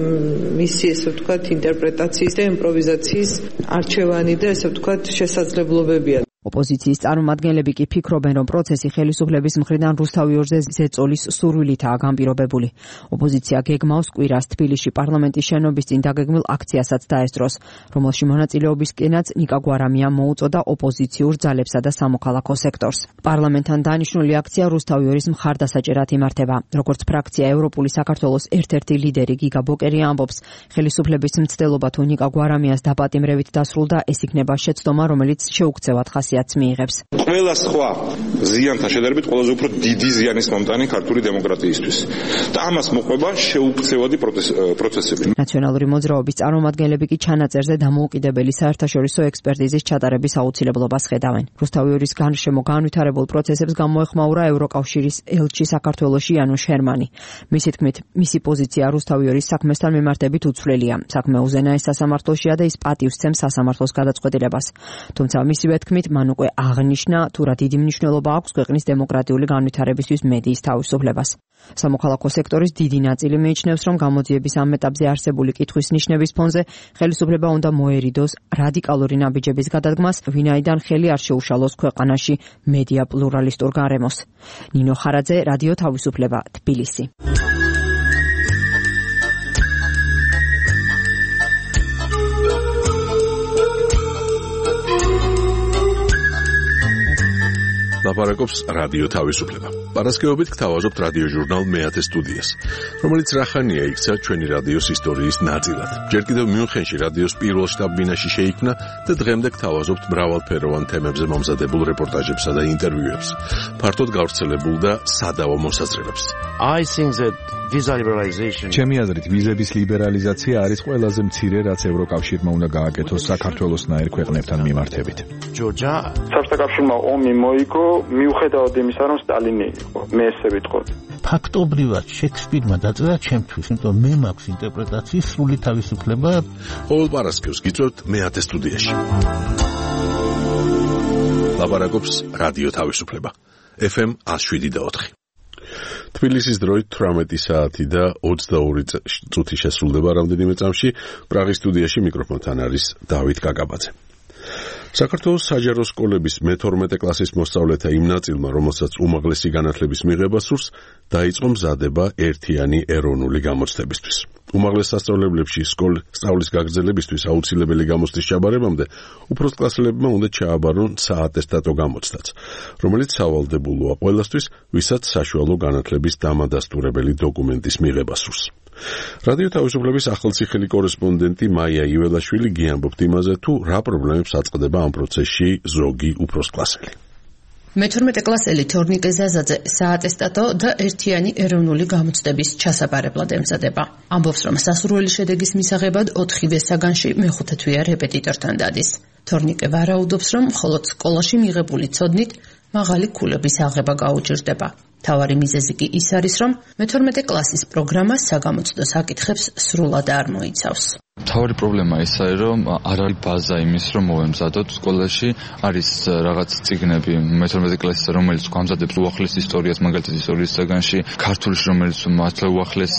მისი ესე ვთქვათ ინტერპრეტაციის და იმპროვიზაციის არჩევანი და ესე ვთქვათ შესაძლებლობებია. ოპოზიციის წარმომადგენლები კი ფიქრობენ, რომ პროცესი ხელისუფლების მხრიდან რუსთავი ორზეს ზეწოლის სურვილითაა განპირობებული. ოპოზიცია გეგმავს კვირას თბილისში პარლამენტის შენობის წინ დაგეგმილ აქციასაც დაესწროს, რომელში მონაწილეობისკენაც ნიკა გვარამია მოუწოდა ოპოზიციურ ძალებსა და სამოქალაქო სექტორს. პარლამენტთან დანიშნული აქცია რუსთავი ორის მხარდასაჭერად იმართება. როგორც ფრაქცია ევროპული საქართველოს ერთ-ერთი ლიდერი გიგა ბოკერი ამბობს, ხელისუფლების მცდელობა თუ ნიკა გვარამიას დაპატიმრებით დასრულდა, ეს იქნება შეცდომა, რომელიც შეუქცევად მიიღებს. ყველა სხვა ზიანთან შედარებით ყველაზე უფრო დიდი ზიანის მომტანი ქართული დემოკრატიისთვის და ამას მოყვება შეუქცევადი პროცესები. ნაციონალური მოძრაობის წარმომადგენლები კი ჩანაწერზე დამოუკიდებელი საერთაშორისო ექსპერტიზის ჩატარების აუცილებლობას ხედავენ. რუსთავი ორის გარშემო განვითარებულ პროცესებს გამოეხმაურა ევროკავშირის ელჩი საქართველოში იანუშ ჰერმანი. მისი თქმით, მისი პოზიცია რუსთავი ორის საქმესთან მიმართებით უცვლელია. საქმე უზენაეს სასამართლოშია და ის პატივს სცემს სასამართლოს გადაწყვეტილებას. თუმცა მისივე თქმით, მან უკვე აღნიშნა, თუ რა დიდი მნიშვნელობა აქვს ქვეყნის დემოკრატიული განვითარებისთვის მედიის თავისუფლებას. სამოქალაქო სექტორის დიდი ნაწილი მიიჩნევს, რომ გამოძიების ამ ეტაპზე არსებული კითხვის ნიშნების ფონზე ხელისუფლება უნდა მოერიდოს რადიკალური ნაბიჯების გადადგმას, ვინაიდან ხელი არ შეუშალოს ქვეყანაში მედია პლურალისტურ გარემოს. ნინო ხარაძე, რადიო თავისუფლება, თბილისი. ლაპარაკობს რადიო თავისუფლება. პარასკევობით გთავაზობთ რადიო ჟურნალ მეათე სტუდიას, რომელიც რახანია იქცა ჩვენი რადიოს ისტორიის ნაწილად. ჯერ კიდევ მიუნხენში რადიოს პირველ შტაბ-ბინაში შეიქმნა და დღემდე გთავაზობთ მრავალფეროვან თემებზე მომზადებულ რეპორტაჟებსა და ინტერვიუებს, ფართოდ გავრცელებულ და სადავო მოსაზრებებს. ჩემი აზრით, ვიზების ლიბერალიზაცია არის ყველაზე მცირე, რაც ევროკავშირმა უნდა გააკეთოს საქართველოსნაირ ქვეყნებთან მიმართებით. საბჭოთა კავშირმა ომი მოიგო მიუხედავად იმისა, რომ სტალინი იყო. მე ესე ვიტყოდი. ფაქტობრივად შექსპირმა დაწერა ჩემთვის, იმიტომ მე მაქვს ინტერპრეტაციის სრული თავისუფლება. ყოველ პარასკევს გიწევთ მეათე სტუდიაში. ლაპარაკობს რადიო თავისუფლება. FM 107.4. თბილისის დროით 18 საათი და 22 წუთი შესრულდება რამდენიმე წამში. პრაღის სტუდიაში მიკროფონთან არის დავით კაკაბაძე. საქართველოს საჯარო სკოლების მე-12 კლასის მოსწავლეთა იმ ნაწილმა, რომელსაც უმაღლესი განათლების მიღება სურს, დაიწყო მზადება ერთიანი ეროვნული გამოცდებისთვის. უმაღლეს სასწავლებლებში სწავლის გაგრძელებისთვის აუცილებელი გამოცდის ჩაბარებამდე უფროსკლასელებმა უნდა ჩააბარონ საატესტატო გამოცდაც, რომელიც სავალდებულოა ყველასთვის, ვისაც საშუალო განათლების დამადასტურებელი დოკუმენტის მიღება სურს. რადიო თავისუფლების ახალციხელი კორესპონდენტი მაია იველაშვილი გიამბობთ იმაზე, თუ რა პრობლემებს აწყდება ამ პროცესში ზოგი უფროსკლასელი. მე-12 კლასელი თორნიკე ზაზაძე საატესტატო და ერთიანი ეროვნული გამოცდების ჩასაბარებლად ემზადება. ამბობს, რომ სასურველი შედეგის მისაღებად 4-ვე საგანში მე-5 თვეა რეპეტიტორთან დადის. თორნიკე ვარაუდობს, რომ მხოლოდ სკოლაში მიღებული ცოდნით მაღალი ქულების აღება გაუჭირდება. თავარი მიზეზი კი ის არის, რომ მე-12 კლასის პროგრამა საგამოცდო საკითხებს სრულად არ მოიცავს. თავარი პრობლემა ისაა, რომ არ არის ბაზა იმის, რომ მოვემზადოთ სკოლაში, არის რაღაც წიგნები მე-12 კლასის, რომელიც გვამზადებს უახლეს ისტორიას, მაგალითად ისტორიის საგანში, ქართულში, რომელიც მართლა უახლეს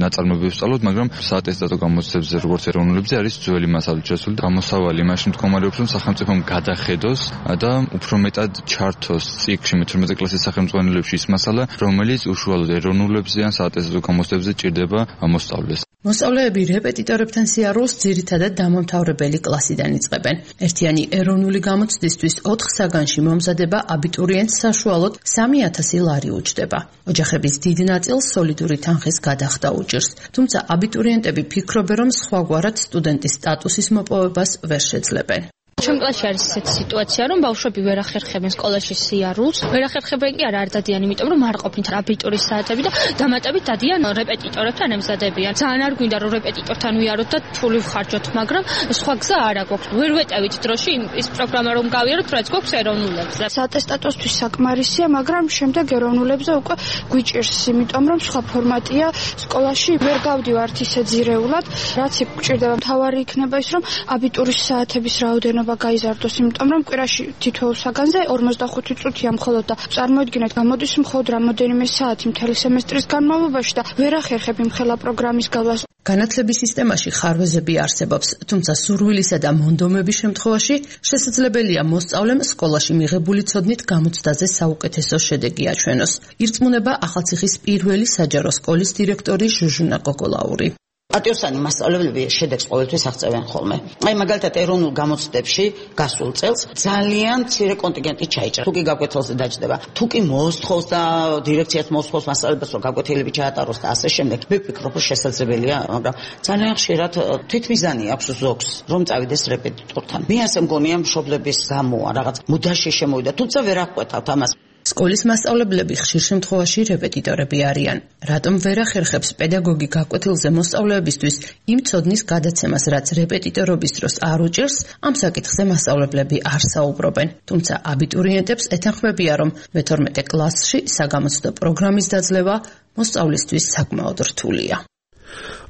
ნაწარმოებებს ვსწავლობთ, მაგრამ საატესტატო გამოცდებზე, როგორც ეროვნულებზე, არის ძველი მასალით შესული. გამოსავალი იმაში მდგომარეობს, რომ სახელმწიფომ გადახედოს და უფრო მეტად ჩართოს წიგნში მე-12 კლასის სახელმძღვანელოებში ის მასალა, რომელიც უშუალოდ ეროვნულებზე ან საატესტატო გამოცდებზე ჭირდება მოსწავლეს. მოსწავლეები რეპეტიტორებთან სიარულს ძირითადად დამამთავრებელი კლასიდან იწყებენ. ერთიანი ეროვნული გამოცდისთვის 4 საგანში მომზადება აბიტურიენტს საშუალოდ 3000 ლარი უჯდება. ოჯახების დიდ ნაწილს სოლიდური თანხის გადახდა უჭირს, თუმცა აბიტურიენტები ფიქრობენ, რომ სხვაგვარად სტუდენტის სტატუსის მოპოვებას ვერ შეძლებენ. Ჩვენ კლასში არის ესეთი სიტუაცია, რომ ბავშვები ვერ ახერხებენ სკოლაში სიარულს. ვერ ახერხებენ კი არა არ დადიან, იმიტომ რომ არ ყოფნით აბიტურის საათები და დამატებით დადიან რეპეტიტორებთან ემზადებიან. ძალიან არ გვინდა რომ რეპეტიტორთან ვიაროთ და თული ვხარჯოთ, მაგრამ სხვა გზა არ აქვს. ვერ ვეტევით დროში ის პროგრამა რომ გავიაროთ, რაც გვაქვს ეროვნულებზე. ატესტატოსთვის საკმარისია, მაგრამ შემდეგ ეროვნულებზე უკვე გვიჭირს, იმიტომ რომ სხვა ფორმატია სკოლაში ვერ გავდივართ ისე ძირეულად, რაც გვჭირდება. მთავარი იქნება ის, რომ აბიტურის საათების რაოდენობა გაიზარდოს, იმიტომ რომ კვირაში თითოეულ საგანზე 45 წუთია მხოლოდ და წარმოიდგინეთ, გამოდის მხოლოდ რამოდენიმე საათი მთელი სემესტრის განმავლობაში და ვერ ახერხებ იმ ხელა პროგრამის გავლას. განათლების სისტემაში ხარვეზები არსებობს, თუმცა სურვილისა და მონდომების შემთხვევაში შესაძლებელია მოსწავლემ სკოლაში მიღებული ცოდნით გამოცდაზე საუკეთესო შედეგი აჩვენოს. ირწმუნება ახალციხის პირველი საჯარო სკოლის დირექტორი ჟუჟუნა კოკოლაური. პატიოსანი მასწავლებლები შედეგს ყოველთვის აღწევენ ხოლმე. აი მაგალითად ეროვნულ გამოცდებში გასულ წელს ძალიან მცირე კონტინგენტი ჩაიჭრა. თუ კი გაკვეთილზე დაჯდება, თუ კი მოსთხოვს და დირექციაც მოსთხოვს მასწავლებლებს რომ გაკვეთილები ჩაატაროს და ასე შემდეგ. მე ვფიქრობ რომ შესაძლებელია, მაგრამ ძალიან ხშირად თვითმიზანი აქვს ზოგს რომ წავიდეს რეპეტიტორთან. მე ასე მგონია მშობლების გამოა რაღაც მუდაში შემოვიდა, თუმცა ვერ აღკვეთავთ ამას. სკოლის მასწავლებლები ხშირ შემთხვევაში რეპეტიტორები არიან. რატომ ვერ ახერხებს პედაგოგი გაკვეთილზე მოსწავლეებისთვის იმ ცოდნის გადაცემას, რაც რეპეტიტორობის დროს არ უჭირს, ამ საკითხზე მასწავლებლები არ საუბრობენ. თუმცა აბიტურიენტებს ეთანხმებია, რომ მე-12 კლასში საგამოცდო პროგრამის დაძლევა მოსწავლისთვის საკმაოდ რთულია.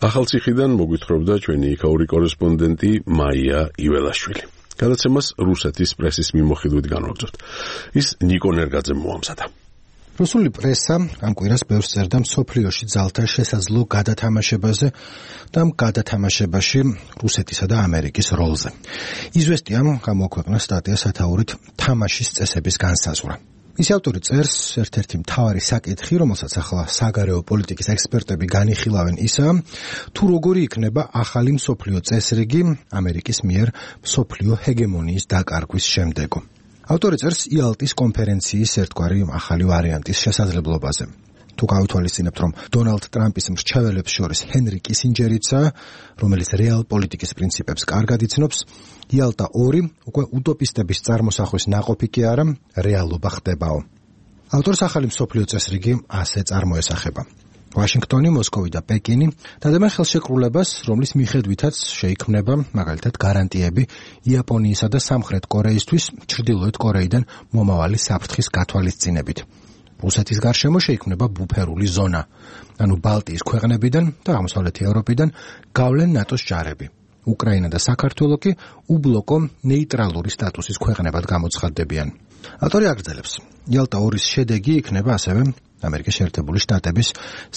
ახალციხიდან მოგვითხრობდა ჩვენი იქაური კორესპონდენტი მაია იველაშვილი. გადაცემას რუსეთის პრესის მიმოხილვით განვაგრძობთ. ის ნიკო ნერგაძემ მოამზადა. რუსული პრესა ამ კვირას ბევრს წერდა მსოფლიოში ძალთა შესაძლო გადათამაშებაზე და ამ გადათამაშებაში რუსეთისა და ამერიკის როლზე. იზვესტიამ გამოაქვეყნა სტატია სათაურით თამაშის წესების განსაზღვრა. ის ავტორი წერს, ერთ-ერთი მთავარი საკითხი, რომელსაც ახლა საგარეო პოლიტიკის ექსპერტები განიხილავენ, ისაა, თუ როგორი იქნება ახალი მსოფლიო წესრიგი ამერიკის მიერ მსოფლიო ჰეგემონიის დაკარგვის შემდეგო. ავტორი წერს იალტის კონფერენციის ერთგვარი ახალი ვარიანტის შესაძლებლობაზე. თუ გავითვალისწინებთ, რომ დონალდ ტრამპის მრჩეველებს შორის ჰენრი კისინჯერიცაა, რომელიც რეალ პოლიტიკის პრინციპებს კარგად იცნობს, იალტა 2 უკვე უტოპისტების წარმოსახვის ნაყოფი კი არა, რეალობა ხდებაო. ავტორს ახალი მსოფლიო წესრიგი ასე წარმოესახება. ვაშინგტონი, მოსკოვი და პეკინი დადებენ ხელშეკრულებას, რომლის მიხედვითაც შეიქმნება მაგალითად გარანტიები იაპონიისა და სამხრეთ კორეისთვის ჩრდილოეთ კორეიდან მომავალი საფრთხის გათვალისწინებით. რუსეთის გარშემო შეიქმნება ბუფერული ზონა, ანუ ბალტიის ქვეყნებიდან და აღმოსავლეთი ევროპიდან გავლენ ნატოს ჯარები. უკრაინა და საქართველო კი უბლოკო ნეიტრალური სტატუსის ქვეყნებად გამოცხადდებიან. ავტორი აგრძელებს, იალტა 2-ის შედეგი იქნება ასევე ამერიკის შეერთებული შტატების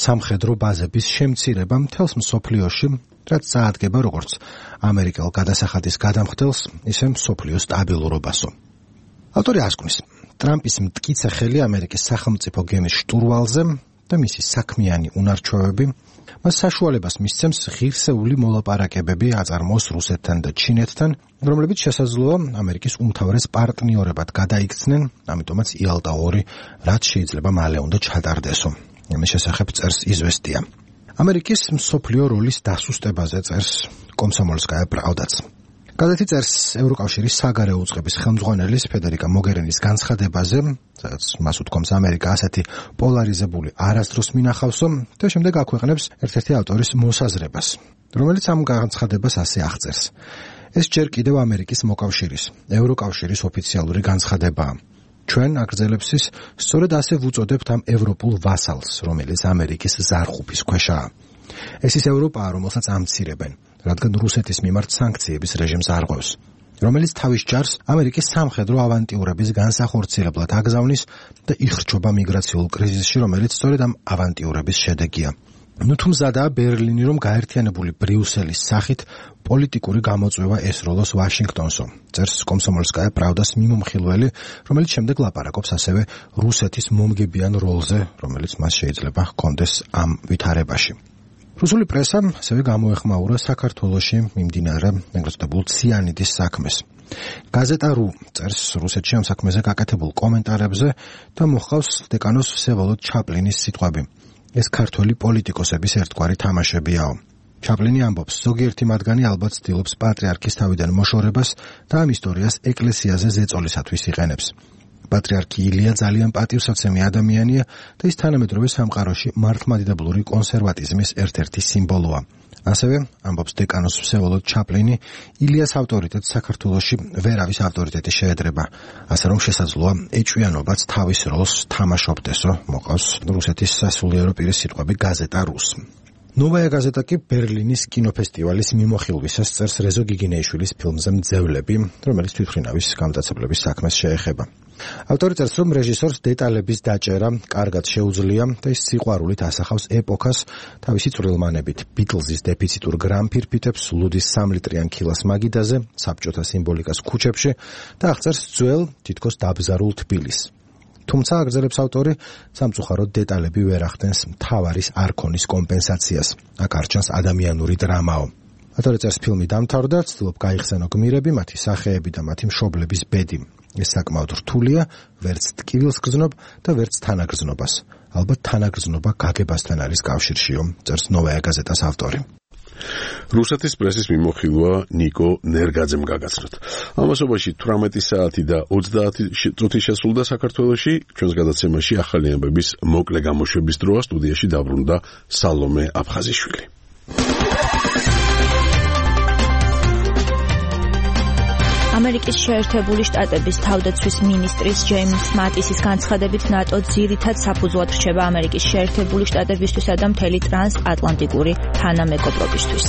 სამხედრო ბაზების შემცირება მთელს მსოფლიოში, რაც წაადგება როგორც ამერიკელ გადასახადის გადამხდელს, ისე მსოფლიო სტაბილურობასო. ავტორი ასკვნის, ტრამპის მტკიცე ხელი ამერიკის სახელმწიფო გემის შტურვალზე და მისი საქმიანი უნარჩვევები მას საშუალებას მისცემს ღირსეული მოლაპარაკებები აწარმოოს რუსეთთან და ჩინეთთან, რომლებიც შესაძლოა ამერიკის უმთავრეს პარტნიორებად გადაიქცნენ, ამიტომაც იალტა 2 რაც შეიძლება მალე უნდა ჩატარდესო. ამის შესახებ წერს იზვესტია. ამერიკის მსოფლიო როლის დასუსტებაზე წერს კომსომოლსკაია პრავდაც. გაზეთი წერს ევროკავშირის საგარეო უწყების ხელმძღვანელის ფედერიკა მოგერინის განცხადებაზე, სადაც მას უთქვამს ამერიკა ასეთი პოლარიზებული არასდროს მინახავსო და შემდეგ აქვეყნებს ერთ-ერთი ავტორის მოსაზრებას, რომელიც ამ განცხადებას ასე აღწერს. ეს ჯერ კიდევ ამერიკის მოკავშირის, ევროკავშირის ოფიციალური განცხადებაა. ჩვენ აგრძელებს ის, სწორედ ასე ვუწოდებთ ამ ევროპულ ვასალს, რომელიც ამერიკის ზარხუფის ქვეშაა. ეს ის ევროპაა, რომელსაც ამცირებენ, რადგან რუსეთის მიმართ სანქციების რეჟიმს არღვევს, რომელიც თავის ჯარს ამერიკის სამხედრო ავანტიურების განსახორციელებლად აგზავნის და იხრჩობა მიგრაციულ კრიზისში, რომელიც სწორედ ამ ავანტიურების შედეგია. თუ მზადაა ბერლინი, რომ გაერთიანებული ბრიუსელის სახით პოლიტიკური გამოწვევა ესროლოს ვაშინგტონსო, წერს კომსომოლსკაია პრავდას მიმომხილველი, რომელიც შემდეგ ლაპარაკობს ასევე რუსეთის მომგებიან როლზე, რომელიც მას შეიძლება ჰქონდეს ამ ვითარებაში. რუსული პრესა ასევე გამოეხმაურა საქართველოში მიმდინარე ეგრეთებულ ციანიდის საქმეს. გაზეტა რუ წერს რუსეთში ამ საქმეზე გაკეთებულ კომენტარებზე და მოჰყავს დეკანოს ვსევოლოდ ჩაპლინის სიტყვები. ეს ქართველი პოლიტიკოსების ერთგვარი თამაშებიაო. ჩაპლინი ამბობს, ზოგიერთი მათგანი ალბათ ცდილობს პატრიარქის თავიდან მოშორებას და ამ ისტორიას ეკლესიაზე ზეწოლისათვის იყენებს. პატრიარქი ილია ძალიან პატივსაცემი ადამიანია და ის თანამედროვე სამყაროში მართლმადიდებლური კონსერვატიზმის ერთ-ერთი სიმბოლოა. ასევე, ამბობს დეკანოს ვსევოლოდ ჩაპლინი, ილიას ავტორიტეტს საქართველოში ვერავის ავტორიტეტი შეედრება, ასე რომ შესაძლოა ეჭვიანობაც თავის როლს თამაშობდესო, მოყავს რუსეთის სასულიერო პირის სიტყვები გაზეტა რუს. ნოვაია გაზეტა კი ბერლინის კინოფესტივალის მიმოხილვისას წერს რეზო გიგინეიშვილის ფილმზე მძევლები, რომელიც თვითმფრინავის გამტაცებლების საქმეს შეეხება. ავტორი წერს, რომ რეჟისორს დეტალების დაჭერა კარგად შეუძლია და ის სიყვარულით ასახავს ეპოქას თავისი წვრილმანებით, ბიტლზის დეფიციტურ გრამფირფიტებს, ლუდის 3 ლიტრიან ქილას მაგიდაზე, საბჭოთა სიმბოლიკას ქუჩებში და აღწერს ძველ, თითქოს დაბზარულ თბილისს. თუმცა აგრძელებს ავტორი, სამწუხაროდ დეტალები ვერ ახდენს მთავარის არქონის კომპენსაციას. აქ არ ჩანს ადამიანური დრამაო. ავტორი წერს, ფილმი დამთავრდა, ცდილობ გაიხსენო გმირები, მათი სახეები და მათი მშობლების ბედი. ეს საკმაოდ რთულია, ვერც ტკივილს გრძნობ და ვერც თანაგრძნობას. ალბათ თანაგრძნობა გაგებასთან არის კავშირშიო, წერს ნოვაია გაზეტას ავტორი. რუსეთის პრესის მიმოხილვა ნიკო ნერგაძემ გაგაცნოთ. ამასობაში 18 საათი და 30 წუთი შესრულდა საქართველოში. ჩვენს გადაცემაში ახალი ამბების მოკლე გამოშვების დროა სტუდიაში დაბრუნდა სალომე აფხაზიშვილი. ამერიკის შეერთებული შტატების თავდაცვის მინისტრის ჯეიმს მატისის განცხადებით, ნატო ძირითად საფუძვლად რჩება ამერიკის შეერთებული შტატებისთვისა და მთელი ტრანსატლანტიკური თანამეგობრობისთვის.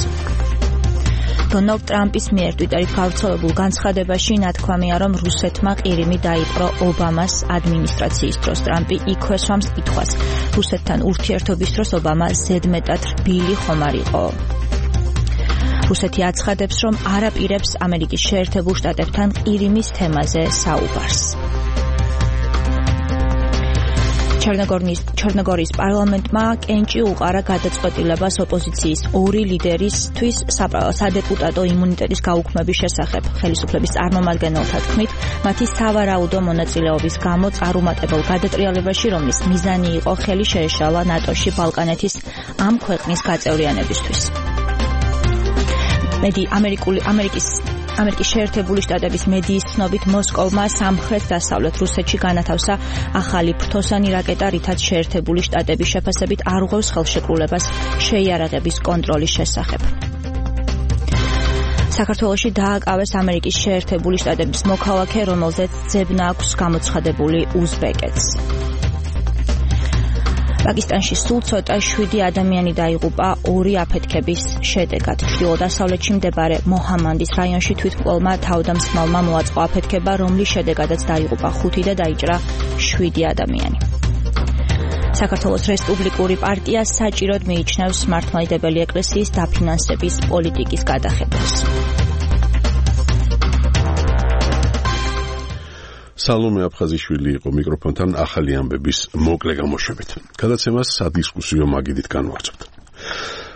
დონალდ ტრამპის მიერ ტვიტერით გავრცელებულ განცხადებაში ნათქვამია, რომ რუსეთმა ყირიმი დაიპყრო ობამას ადმინისტრაციის დროს. ტრამპი იქვე სვამს კითხვას, რუსეთთან ურთიერთობის დროს ობამა ზედმეტად რბილი ხომ არ იყო? რუსეთი აცხადებს, რომ არ აპირებს ამერიკის შეერთებულ შტატებთან ყირიმის თემაზე საუბარს. ჩერნოგორიის პარლამენტმა კენჭი უყარა გადაწყვეტილებას ოპოზიციის ორი ლიდერისთვის სადეპუტატო იმუნიტეტის გაუქმების შესახებ. ხელისუფლების წარმომადგენელთა თქმით, მათი სავარაუდო მონაწილეობის გამო წარუმატებელ გადატრიალებაში, რომლის მიზანი იყო ხელი შეეშალა ნატოში ბალკანეთის ამ ქვეყნის გაწევრიანებისთვის. ამერიკის შეერთებული შტატების მედიის ცნობით, მოსკოვმა სამხრეთ-დასავლეთ რუსეთში განათავსა ახალი ფრთოსანი რაკეტა, რითაც შეერთებული შტატების შეფასებით არ უღებს ხელშეკრულებას შეიარაღების კონტროლის შესახებ. საქართველოში დააკავეს ამერიკის შეერთებული შტატების მოქალაქე, რომელზეც ძებნა აქვს გამოცხადებული უზბეკეთს. პაკისტანში სულ ცოტა 7 ადამიანი დაიღუპა 2 აფეთქების შედეგად. ჩრდილო-დასავლეთში მდებარე მოჰამანდის რაიონში თვითმკვლელმა თავდამსხმელმა მოაწყო აფეთქება, რომლის შედეგადაც დაიღუპა 5 და დაიჭრა 7 ადამიანი. საქართველოს რესპუბლიკური პარტია საჭიროდ მიიჩნევს მართლმადიდებელი ეკლესიის დაფინანსების პოლიტიკის გადახებას. სალომე აფხაზიშვილი იყო მიკროფონთან ახალი ამბების მოკლე გამოშვებით. გადაცემას სადისკუსიო მაგიდით განვაგრძობთ.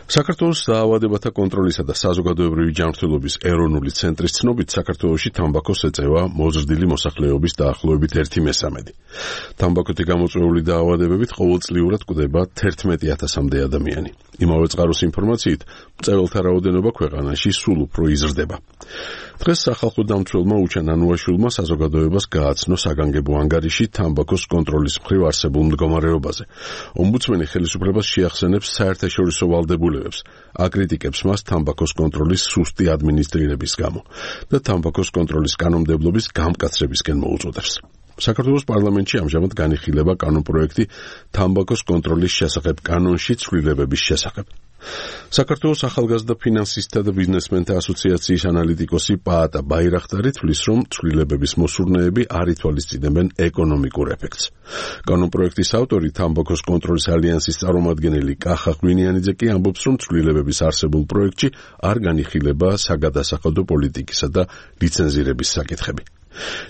საქართველოს დაავადებათა კონტროლისა და საზოგადოებრივი ჯანმრთელობის ეროვნული ცენტრის ცნობით, საქართველოში თამბაქოს ეწევა მოზრდილი მოსახლეობის დაახლოებით 1/3. თამბაქოთი გამოწვეული დაავადებებით ყოველწლიურად კვდება 11,000-მდე ადამიანი. იმავე წყაროს ინფორმაციით, მწვერვალთა რაოდენობა ქვეყანაში სულ უფრო იზრდება. დღეს სახალხო დამცველმა უჩან ანუაშვილმა საზოგადოებას გააცნო საგანგებო ანგარიში თამბაქოს კონტროლის მხრივ არსებულ მდგომარეობაზე. ომბუდსმენი ხელისუფლებას შეახსენებს საერთაშორისო ვალდებულებებს, აკრიტიკებს მას თამბაქოს კონტროლის სუსტი ადმინისტრირების გამო და თამბაქოს კონტროლის კანონმდებლობის გამკაცრებისკენ მოუწოდებს. საქართველოს პარლამენტში ამჟამად განიხილება კანონპროექტი თამბაქოს კონტროლის შესახებ კანონში ცვლილებების შესახებ. საქართველოს ახალგაზრდა ფინანსისტთა და ბიზნესმენთა ასოციაციის ანალიტიკოსი პაატა ბაირახტარი თვლის, რომ ცვლილებების მოსურნეები არ ითვალისწინებენ ეკონომიკურ ეფექტს. კანონპროექტის ავტორი თამბაქოს კონტროლის ალიანსის წარმომადგენელი კახა ღვინიანიძე კი ამბობს, რომ ცვლილებების არსებულ პროექტში არ განიხილება საგადასახადო პოლიტიკისა და ლიცენზირების საკითხები.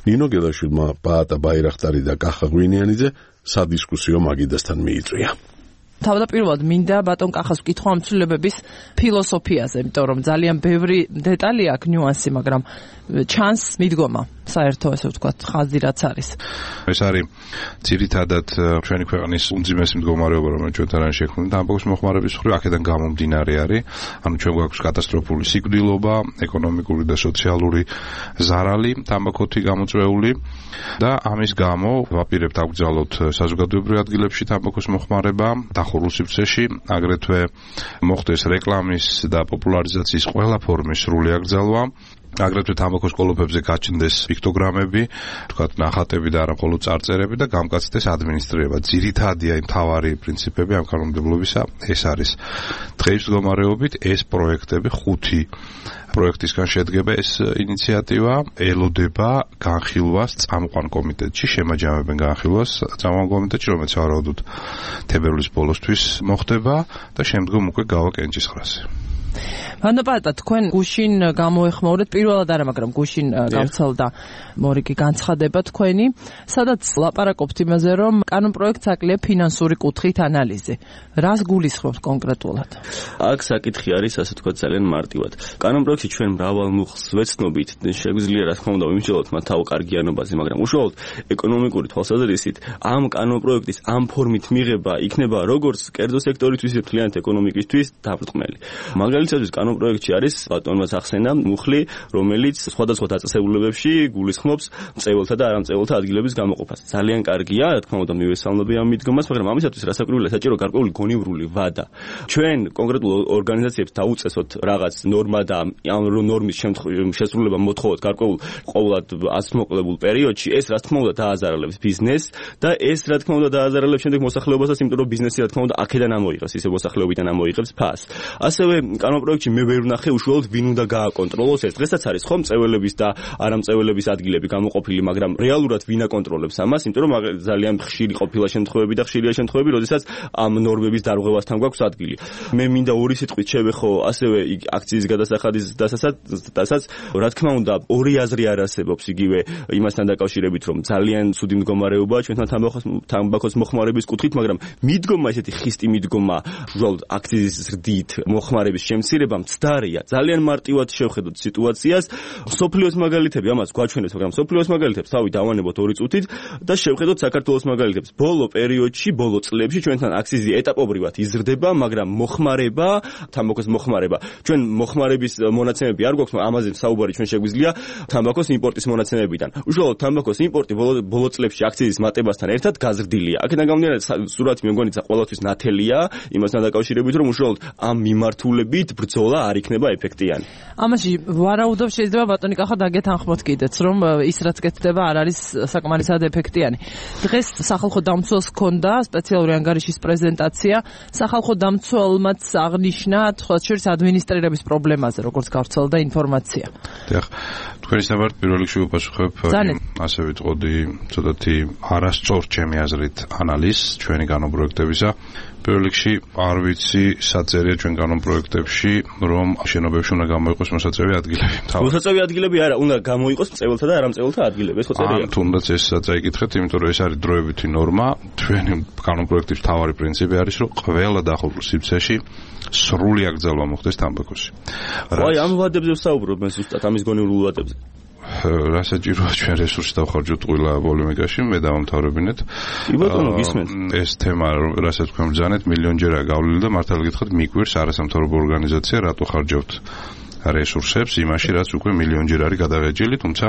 ნინო გელაშვილმა პაატა ბაირახტარი და კახა ღვინიანიძე სადისკუსიო მაგიდასთან მიიწვია. თავდაპირველად მინდა ბატონ კახას ვკითხო ამ ცვლილებების ფილოსოფიაზე, იმიტომ რომ ძალიან ბევრი დეტალი აქვს, ნიუანსი, მაგრამ ჩანს მიდგომა საერთო ესე ვთქვათ ხაზი რაც არის. ეს არის ძირითადად ჩვენი ქვეყნის უმძიმესი მდგომარეობა, რომელიც ჩვენთან არის შექმნილი და ამბობს მოხმარების მხრივ აქედან გამომდინარე არის. ანუ ჩვენ გვაქვს კატასტროფული სიკვდილობა, ეკონომიკური და სოციალური ზარალი, თამბაქოთი გამოწვეული და ამის გამო ვაპირებთ აკრძალოთ საზოგადოებრივ ადგილებში თამბაქოს მოხმარება დახურულ სივრცეში, აგრეთვე მოხდეს რეკლამის და პოპულარიზაციის ყველა ფორმის სრული აკრძალვა. აგრეთვე თამბაქოს კოლოფებზე გაჩნდეს პიქტოგრამები, თქვათ ნახატები და არა მხოლოდ წარწერები და გამკაცდეს ადმინისტრირება. ძირითადია იმ მთავარი პრინციპები ამ კანონმდებლობისა ეს არის. დღეის მდგომარეობით ეს პროექტები 5 პროექტისგან შედგება ეს ინიციატივა, ელოდება განხილვას წამყვან კომიტეტში, შემაჯამებენ განხილვას წამყვან კომიტეტში, რომელიც ვარაუდობთ თებერვლის ბოლოსთვის მოხდება და შემდგომ უკვე გავა კენჭისყრაზე. ვანოპატა თქვენ გუშინ გამოეხმაურეთ პირველად არა, მაგრამ გუშინ გავრცელდა მორიგი განცხადება თქვენი, სადაც ლაპარაკობთ იმაზე, რომ კანონპროექტს აკლია ფინანსური კუთხით ანალიზი. რას გულისხმობთ კონკრეტულად? აქ საკითხი არის, ასე ვთქვათ, ძალიან მარტივად. კანონპროექტში ჩვენ მრავალ მუხლს ვეცნობით, შეგვიძლია რა თქმა უნდა ვიმსჯელოთ მათ თავ კარგიანობაზე, მაგრამ უშუალოდ ეკონომიკური თვალსაზრისით ამ კანონპროექტის ამ ფორმით მიღება იქნება როგორც კერძო სექტორისთვის, მთლიანად ეკონომიკისთვის დაბრწყმელი. მაგალითად კანონპროექტში არის ბატონმა ახსენა მუხლი, რომელიც სხვადასხვა დაწესებულებებში გულისხმობს მწეველთა და არამწეველთა ადგილების გამოყოფას. ძალიან კარგია, რა თქმა უნდა, მივესალმები ამ მიდგომას, მაგრამ ამისათვის რასაკვირველია საჭირო გარკვეული გონივრული ვადა. ჩვენ კონკრეტულ ორგანიზაციებს დაუწესოთ რაღაც ნორმა და ამ ნორმის შესრულება მოთხოვოთ გარკვეულ ყოველად ასმოყლებულ პერიოდში, ეს რა თქმა უნდა დააზარალებს ბიზნესს და ეს რა თქმა უნდა დააზარალებს შემდეგ მოსახლეობასაც, იმიტომ რომ ბიზნესი რა თქმა უნდა აქედან ამოიღებს, ისე მოსახლეობიდან ამოიღებს ფასს. ასევე კანონპროექტში მე ვერ ვნახე უშუალოდ ვინ უნდა გააკონტროლოს ეს. დღესაც არის ხომ მწეველების და არამწეველების ადგილები გამოყოფილი, მაგრამ რეალურად ვინ აკონტროლებს ამას, იმიტომ რომ ძალიან ხშირი ყოფილა შემთხვევები და ხშირია შემთხვევები, როდესაც ამ ნორმების დარღვევასთან გვაქვს ადგილი. მე მინდა ორი სიტყვით შევეხო ასევე აქციის გადასახადის დასაც, რა თქმა უნდა, ორი აზრი არ არსებობს იგივე იმასთან დაკავშირებით, რომ ძალიან ცუდი მდგომარეობაა ჩვენთან თამბაქოს მოხმარების კუთხით, მაგრამ მიდგომა ესეთი ხისტი მიდგომა უშუალოდ აქციის ზრდით მოხმარების შემცირება მცდარია. ძალიან მარტივად შევხედოთ სიტუაციას. სოფლიოს მაგალითები ამას გვაჩვენებს, მაგრამ სოფლიოს მაგალითებს თავი დავანებოთ 2 წუთით და შევხედოთ საქართველოს მაგალითებს. ბოლო პერიოდში, ბოლო წლებში ჩვენთან აქციზი ეტაპობრივად იზრდება, მაგრამ მოხმარება, თამბაქოს მოხმარება. ჩვენ მოხმარების მონაცემები არ გვაქვს, მაგრამ ამაზე საუბარი ჩვენ შეგვიძლია თამბაქოს იმპორტის მონაცემებიდან. უშუალოდ თამბაქოს იმპორტი ბოლო წლებში აქციზის მატებასთან ერთად გაზრდილია. აქედან გამომდინარე, სურათი მე მგონი ყოველთვის ნათელია იმასთან დაკავშირებით, რომ უშუალოდ ამ მიმართულებით ბრძოლა არ იქნება ეფექტიანი. ამაში ვარაუდობ შეიძლება ბატონი კახა დაგეთანხმოთ კიდეც, რომ ის რაც კეთდება არ არის საკმარისად ეფექტიანი. დღეს სახალხო დამცველს ჰქონდა სპეციალური ანგარიშის პრეზენტაცია. სახალხო დამცველმაც აღნიშნა თქვათ შორის ადმინისტრირების პრობლემაზე, როგორც გავრცელდა ინფორმაცია. დიახ, თქვენი სამართ პირველ რიგში ვუპასუხებ, ასე ვიტყოდი, ცოტათი არასწორ ჩემი აზრით ანალიზს ჩვენი კანონპროექტებისა. პირველ რიგში არ ვიცი საწერია ჩვენ კანონპროექტებში, რომ შენობებში უნდა გამოიყოს მოსაწევი ადგილები. მოსაწევი ადგილები არა, უნდა გამოიყოს მწეველთა და არამწეველთა ადგილები, ეს ხო წერია. თუნდაც ეს წაიკითხეთ, იმიტომ რომ ეს არის დროებითი ნორმა. ჩვენი კანონპროექტის მთავარი პრინციპი არის, რომ ყველა დახურულ სივრცეში სრული აკრძალვა მოხდეს თამბაქოში. აი ამ ვადებზე ვსაუბრობ მე ზუსტად ამის გონივრულ ვადებზე. რა საჭიროა ჩვენ რესურსს დავხარჯოთ ყველა პოლემიკაში, მე დავამთავრებინეთ. ეს თემა, რასაც თქვენ ბრძანეთ, მილიონჯერაა გავლილი და მართალი გითხრათ, მიგვირს არასამთავრობო ორგანიზაცია, რატო ხარჯავთ რესურსებს იმაში, რაც უკვე მილიონჯერ არის გადაღეჭილი, თუმცა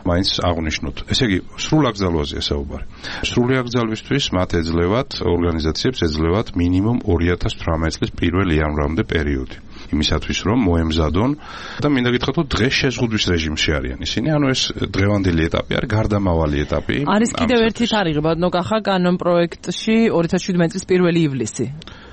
მაინც აღნიშნოთ. ესე იგი, სრულ აკრძალვაზეა საუბარი. სრული აკრძალვისთვის მათ ეძლევათ ორგანიზაციებს ეძლევათ მინიმუმ 2018 წლის 1 იანვრამდე პერიოდი. იმისათვის რომ მოემზადონ და მინდა გითხრათ, რომ დღეს შეზღუდვის რეჟიმში არიან ისინი, ანუ ეს დღევანდელი ეტაპი არის, გარდამავალი ეტაპი. არის კიდევ ერთი თარიღი, ბატონო კახა, კანონპროექტში 2017 წლის 1 ივლისი.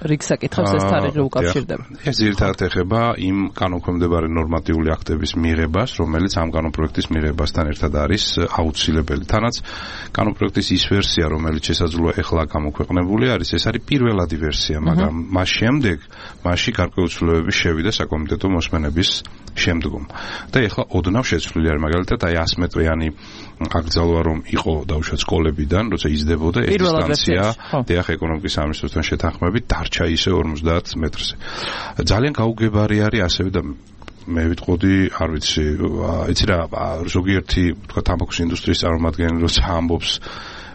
რიგს აკითხავს ეს თარიღი უკავშირდება. ეს ძირითადად ეხება იმ კანონქვემდებარე ნორმატიული აქტების მიღებას, რომელიც ამ კანონპროექტის მიღებასთან ერთად არის აუცილებელი. თანაც კანონპროექტის ის ვერსია, რომელიც შესაძლოა ეხლა გამოქვეყნებული არის, ეს არის პირველადი ვერსია, მაგრამ მას შემდეგ მასში გარკვეული ცვლილებები შევიდა საკომიტეტო მოსმენების შემდგომ. და ეხლა ოდნავ შეცვლილი არის, მაგალითად, აი 100 მეტრიანი აკრძალვა რომ იყო დაუშვათ სკოლებიდან, როცა იზრდებოდა ეს დისტანცია, დიახ, ეკონომიკის სამინისტროსთან შეთანხმებით დარჩა ისე 50 მეტრზე. ძალიან გაუგებარი არის ასევე და მე ვიტყოდი, არ ვიცი, იცი რა, ზოგიერთი, თქვა, თამბაქოს ინდუსტრიის წარმომადგენელი როცა ამბობს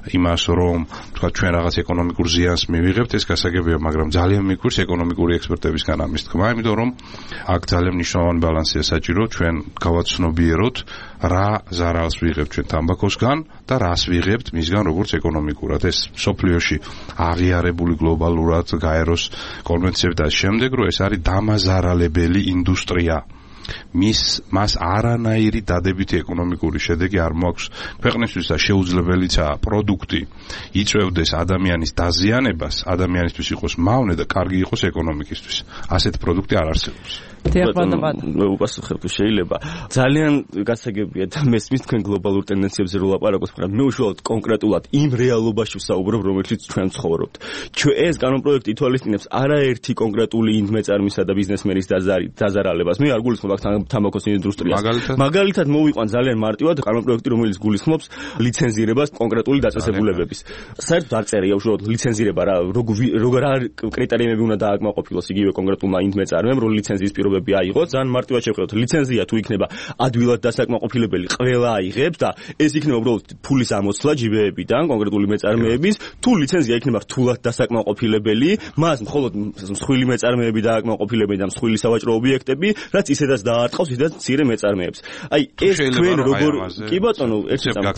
იმას, რომ თქვა ჩვენ რაღაც ეკონომიკურ ზიანს მივიღებთ, ეს გასაგებია, მაგრამ ძალიან მიგვირს ეკონომიკური ექსპერტებისგან ამის თქმა, იმიტომ რომ აქ ძალიან მნიშვნელოვანი ბალანსია საჭირო, ჩვენ გავაცნობიეროთ რა ზარალს ვიღებთ ჩვენ თამბაქოსგან და რას ვიღებთ მისგან როგორც ეკონომიკურად. ეს სოფლიოში აღიარებული გლობალურად გაეროს კონვენციები და შემდეგ, რომ ეს არის დამაზარალებელი ინდუსტრია. მას არანაირი დადებითი ეკონომიკური შედეგი არ მოაქვს ქვეყნისთვის და შეუძლებელიცაა პროდუქტი იწვევდეს ადამიანის დაზიანებას, ადამიანისთვის იყოს მავნე და კარგი იყოს ეკონომიკისთვის. ასეთი პროდუქტი არ არსებობს. მე უპასუხებ თუ შეიძლება. ძალიან გასაგებია და მესმის თქვენ გლობალურ ტენდენციებზე რო ლაპარაკობთ, მაგრამ მე უშუალოდ კონკრეტულად იმ რეალობაში ვსაუბრობ, რომელშიც ჩვენ ცხოვრობთ. ეს კანონპროექტი ითვალისწინებს არაერთი კონკრეტული ინდმეწარმისა და ბიზნესმენის დაზარალებას. მე არ გულისხმობ აქ თამბაქოს ინდუსტრიას. მაგალითად მოვიყვან ძალიან მარტივად კანონპროექტი, რომელიც გულისხმობს ლიცენზირებას კონკრეტული დაწესებულებების. საერთოდ არ წერია უშუალოდ ლიცენზირება რა კრიტერიუმები უნდა დააკმაყოფილოს იგივე კონკრეტულმა ინდმეწარმემ, რომ ლიცენზიის პირობები აიღოს. ძალიან მარტივად შევხედოთ, ლიცენზია თუ იქნება ადვილად დასაკმაყოფილებელი, ყველა აიღებს და ეს იქნება უბრალოდ ფულის ამოცვლა ჯიბეებიდან კონკრეტული მეწარმეების, თუ ლიცენზია იქნება რთულად დასაკმაყოფილებელი, მას მხოლოდ მსხვილი მეწარმეები დააკმაყოფილებენ და მსხვილი სავაჭრო ობიექტები, რაც ისედაც დაარტყავს ისედაც მცირე მეწარმეებს. აი ეს თქვენ როგორ კი ბატონო, ერთი წამი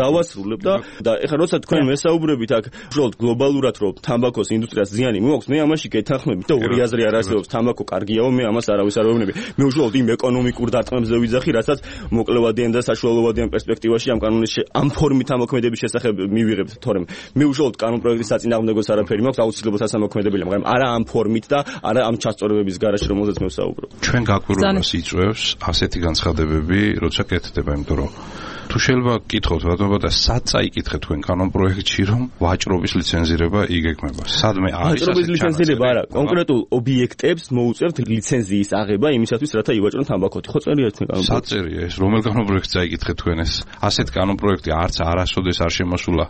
დავასრულებ და ეხლა როცა თქვენ მესაუბრებით აქ უშუალოდ გლობალურად რომ თამბაქოს ინდუსტრიას ზიანი მოაქვს, მე ამაში გეთანხმებით და ორი აზრი არ არსებობს. თამბაქო კარგიაო, მე ამას არავის არ ვეუბნები. მე უშუალოდ იმ ეკონომიკურ დარტყმებზე ვიძახი, რასაც მოკლევადიან და საშუალოვადიან პერსპექტივაში ამ კანონის ამ ფორმით ამოქმედების შესახებ მივიღებთ, თორემ მე უშუალოდ კანონპროექტის საწინააღმდეგოს არაფერი მაქვს, აუცილებლად ასამოქმედებელია, მაგრამ არა ამ ფორმით და არა ამ ჩასწორებების გარეშე, რომელზეც მე ვსაუბრობ. ჩვენ გაკვირვებას იწვევს ასეთი განცხადებები, როცა კეთდება, იმიტომ რომ თუ შეიძლება გკითხოთ ბატონო და სად წაიკითხეთ თქვენ კანონპროექტში, რომ ვაჭრობის ლიცენზირება იგეგმება. სადმე არის ვაჭრობის ლიცენზირება არა, კონკრეტულ ობიექტებს მოუწევთ ლიცენზიის აღება იმისათვის, რათა ივაჭრონ თამბაქოთი. ხო წერია თქვენ კანონპროექტში? საწერია ეს, რომელ კანონპროექტს წაიკითხეთ თქვენ ეს? ასეთ კანონპროექტი არც არასოდეს არ შემოსულა.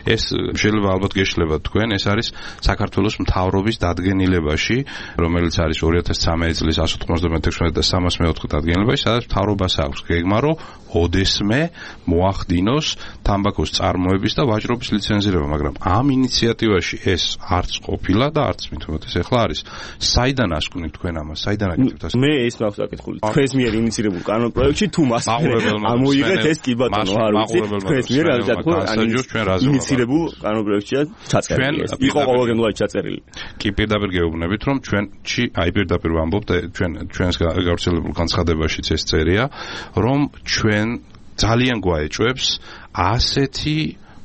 ეს შეიძლება ალბათ გეშლებათ თქვენ, ეს არის საქართველოს მთავრობის დადგენილებაში, რომელიც არის 2013 წლის 196 და 304 დადგენილებაში, სადაც მთავრობას აქვს გეგმა, რომ ოდესმე მოახდინოს თამბაქოს წარმოების და ვაჭრობის ლიცენზირება, მაგრამ ამ ინიციატივაში ეს არც ყოფილა და არც მithumetes ეხლა არის. საიდან ასკვნით თქვენ ამას? საიდან აკეთებთ ასეთ? მე ეს მაქვს აკითხული. თქვენს მიერ ინიციირებულ კანონპროექტში თუ მას ამოიღეთ ეს კი ბატონო, არ ვიცი. თქვენს მიერ ინიციირებულ კანონპროექტშია ჩაწერილი ეს. იყო ყოველგვარად ჩაწერილი. კი პირდაპირ გეუბნებით, რომ ჩვენში აი პირდაპირ ვამბობ და ჩვენს გავრცელებულ განცხადებაშიც ეს წერია, რომ ჩვენ ძალიან გვაეჭვებს ასეთი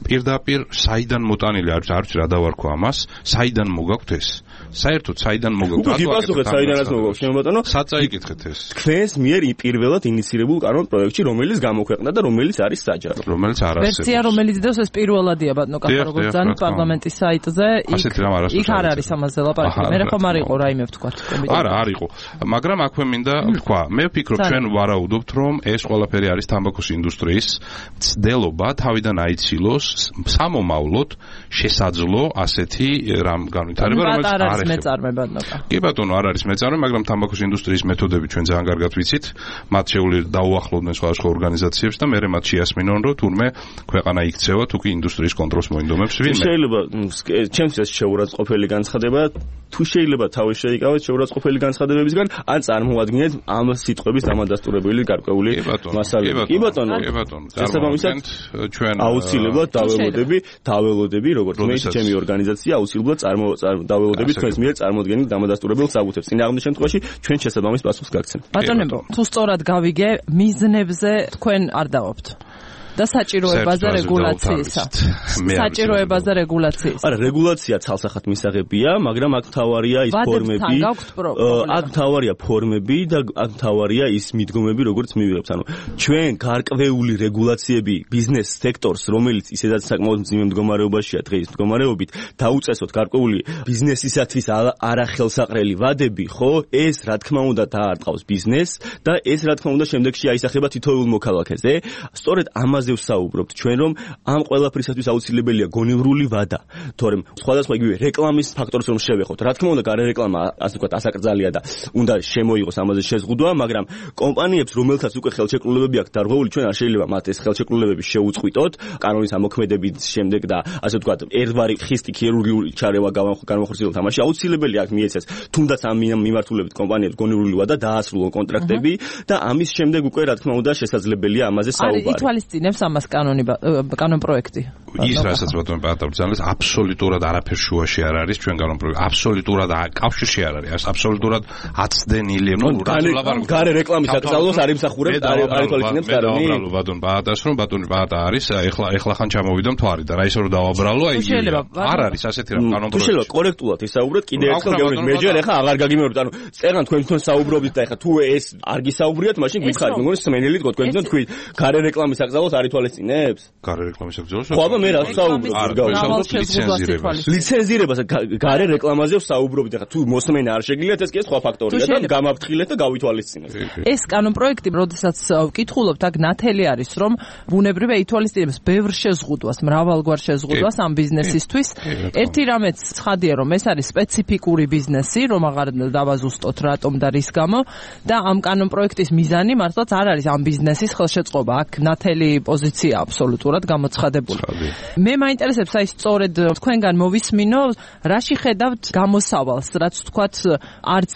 პირდაპირ საიდან მოტანილი არ ვიცი რა დავარქვა ამას, საიდან მოგაქვთ ეს? საერთოდ საიდან მოგაქვთ? უკვე გიპასუხეთ საიდანაც მოგაქვთ, შენ ბატონო? სად წაიკითხეთ ეს? თქვენს მიერ პირველად ინიციირებულ კანონპროექტში, რომელიც გამოქვეყნდა და რომელიც არის საჯარო. რომელიც არ არსებობს. ვერსია რომელიც დევს ეს პირველადია ბატონო, როგორც ძალიან პარლამენტის საიტზე, იქ არ არის ამაზე ლაპარაკი. მე ხომ არ იყო რაიმე ვთქვა. არა, არ იყო. მაგრამ აქვე მინდა ვთქვა, მე ვფიქრობ ჩვენ ვარაუდობთ, რომ ეს ყველაფერი არის თამბაქოს ინდუსტრიის ცდელობა თავიდან აიცილოს სამომავლოდ შესაძლო ასეთი რამ განვითარება, რომელიც არ არის მეწარმე ბატონო. კი ბატონო, არ არის მეწარმე, მაგრამ თამბაქოს ინდუსტრიის მეთოდები ჩვენ ძალიან კარგად ვიცით. მათ შეუძლია დაუახლოვდნენ სხვადასხვა ორგანიზაციებს და მერე მათ შეასმინონ, რომ თურმე ქვეყანა იქცევა თუ კი ინდუსტრიის კონტროლს მოინდომებს ვინმე. შეიძლება ჩემთვის შეურაცხყოფელი განცხადება, თუ შეიძლება თავის შეიკავეთ შეურაცხყოფელი განცხადებებისგან, ან წარმოადგინეთ ამ სიტყვების დამადასტურებელი გარკვეული მასალები. კი ბატონო. შესაბამისად ჩვენ აუცილებლად დაველოდები, როგორც მე ჩემი ორგანიზაცია აუცილებლად დაველოდები თქვენს მიერ წარმოადგენილ დამადასტურებელ საბუთებს. წინააღმდეგ შემთხვევაში ჩვენ შესაბამის პასუხს გაგცემთ. ბატონებო, თუ სწორად გავიგე, მიზნებზე თქვენ არ დავობთ. და საჭიროებაზე რეგულაციისა. საჭიროებაზე რეგულაციის. არა, რეგულაცია ცალსახად მისაღებია, მაგრამ აქ მთავარია ის ფორმები. აქ მთავარია ფორმები და აქ მთავარია ის მიდგომები, როგორც მივიღებთ. ანუ ჩვენ გარკვეული რეგულაციები ბიზნეს სექტორს, რომელიც ისედაც საკმაოდ მძიმე მდგომარეობაშია დღის მდგომარეობით, დაუწესოთ გარკვეული ბიზნესისათვის არახელსაყრელი ვადები, ხო? ეს რა თქმა უნდა დაარტყავს ბიზნესს და ეს რა თქმა უნდა შემდეგში აისახება თითოეულ მოქალაქეზე. სწორედ ამაზე ამაზე ვსაუბრობთ ჩვენ, რომ ამ ყველაფრისათვის აუცილებელია გონივრული ვადა, თორემ სხვადასხვა იგივე რეკლამის ფაქტორს რომ შევეხოთ. რა თქმა უნდა, გარე რეკლამა ასე ვთქვათ ასაკრძალია და უნდა შემოიღოს ამაზე შეზღუდვა, მაგრამ კომპანიებს, რომელთაც უკვე ხელშეკრულებები აქვს დარღვეული, ჩვენ არ შეიძლება მათ ეს ხელშეკრულებები შეუწყვიტოთ კანონის ამოქმედების შემდეგ და ასე ვთქვათ, ერთვარი ხისტი ქირურგიული ჩარევა განმახორციელოთ თამაში აუცილებელი აქვს მიეცეს, თუნდაც ამ მიმართულებით კომპანიებს გონივრული ვადა დაასრულონ კონტრაქტები და ამის შემდეგ უკვე რა თქმა უნდა შესაძლებელია ამაზე საუბარი. არის ითვალისწინებს ამას კანონ პროექტი. ის რასაც ბატონო პატავძანეს აბსოლუტურად არაფერ შუაში არ არის ჩვენ კანონ პროექტი. აბსოლუტურად კავშირში არ არის. აბსოლუტურად აცდენილია. გარე რეკლამის აკრძალვას არ იმსახურებს არ ითვალისწინებს კანონი. უბრალოდ ბატონ პატას რომ ბატონი პატა არის ეხლა ხან ჩამოვიდა მთვარი და რა ისე რომ დავაბრალო აი არ არის ასეთი რა კანონ პროექტი. შეიძლება კორექტულად ისაუბროთ კიდე ერთხელ გეუბნებით მე ჯერ ეხლა აღარ გაგიმეორებთ ანუ წერან თქვენ თვითონ საუბრობთ და ეხლა თუ ეს არ გისაუბრიათ მაშინ გითხარით მე მგონი სმენელით გქონდ თქვენ თვითონ თქვით გარე რეკლამის აკრძალვას არ ითვალისწინებს გარე რეკლამის აკრძალვას ხო აბა მე რა ვსაუბრობ ლიცენზირებას გარე რეკლამაზე ვსაუბრობთ ეხლა თუ მოსმენა არ შეგიძლიათ ეს კი სხვა ფაქტორია და გამაფრთხილეთ და გავითვალისწინეთ ეს კანონ პროექტი როდესაც ვკითხულობთ აქ ნათელი არის რომ ბუნებრივია ითვალისწინებს ბევრ შეზღუდვას მრავალგვარ შეზღუდვას ამ ბიზნესისთვის ერთი რამეც ცხადია რომ ეს არის სპეციფიკური ბიზნესი რომ აღარ დავაზუსტოთ რატომ და რის გამო და ამ კანონ პროექტის მიზანი მართლაც არ არის ამ ბიზნესის ხელშეწყობა აქ ნათელი პოზიცია აბსოლუტურად გამოცხადებული მე მაინტერესებს აი სწორედ თქვენგან მოვისმინო რაში ხედავთ გამოსავალს რაც თქვათ არც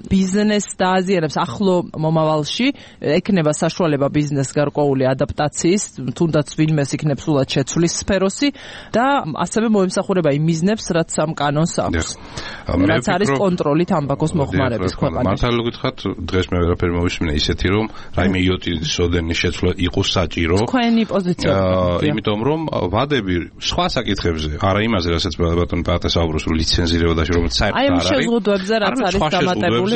ბიზნესს დააზიანებს ახლო მომავალში ექნება საშუალება ბიზნეს გარკვეული ადაპტაციის თუნდაც ვინმეს იქნებს სულად შეცვლის სფეროსი და ასევე მოემსახურება იმ მიზნებს რაც ამ კანონს აქვს რაც არის კონტროლი თამბაქოს მოხმარების ქვეყანაში მართალი გითხრათ დღეს მე ვერაფერი მოვისმინე ისეთი რომ რაიმე იოტის ოდენის შეცვლა იყო საჭირო თქვენი პოზიცია იმიტომ რომ ვადები სხვა საკითხებზე არა იმაზე რასაც ბატონ პატა საუბრობს რომ ლიცენზირებაში რომ საერთოდ არ არის აი შეზღუდვებზე რაც არის დამატებული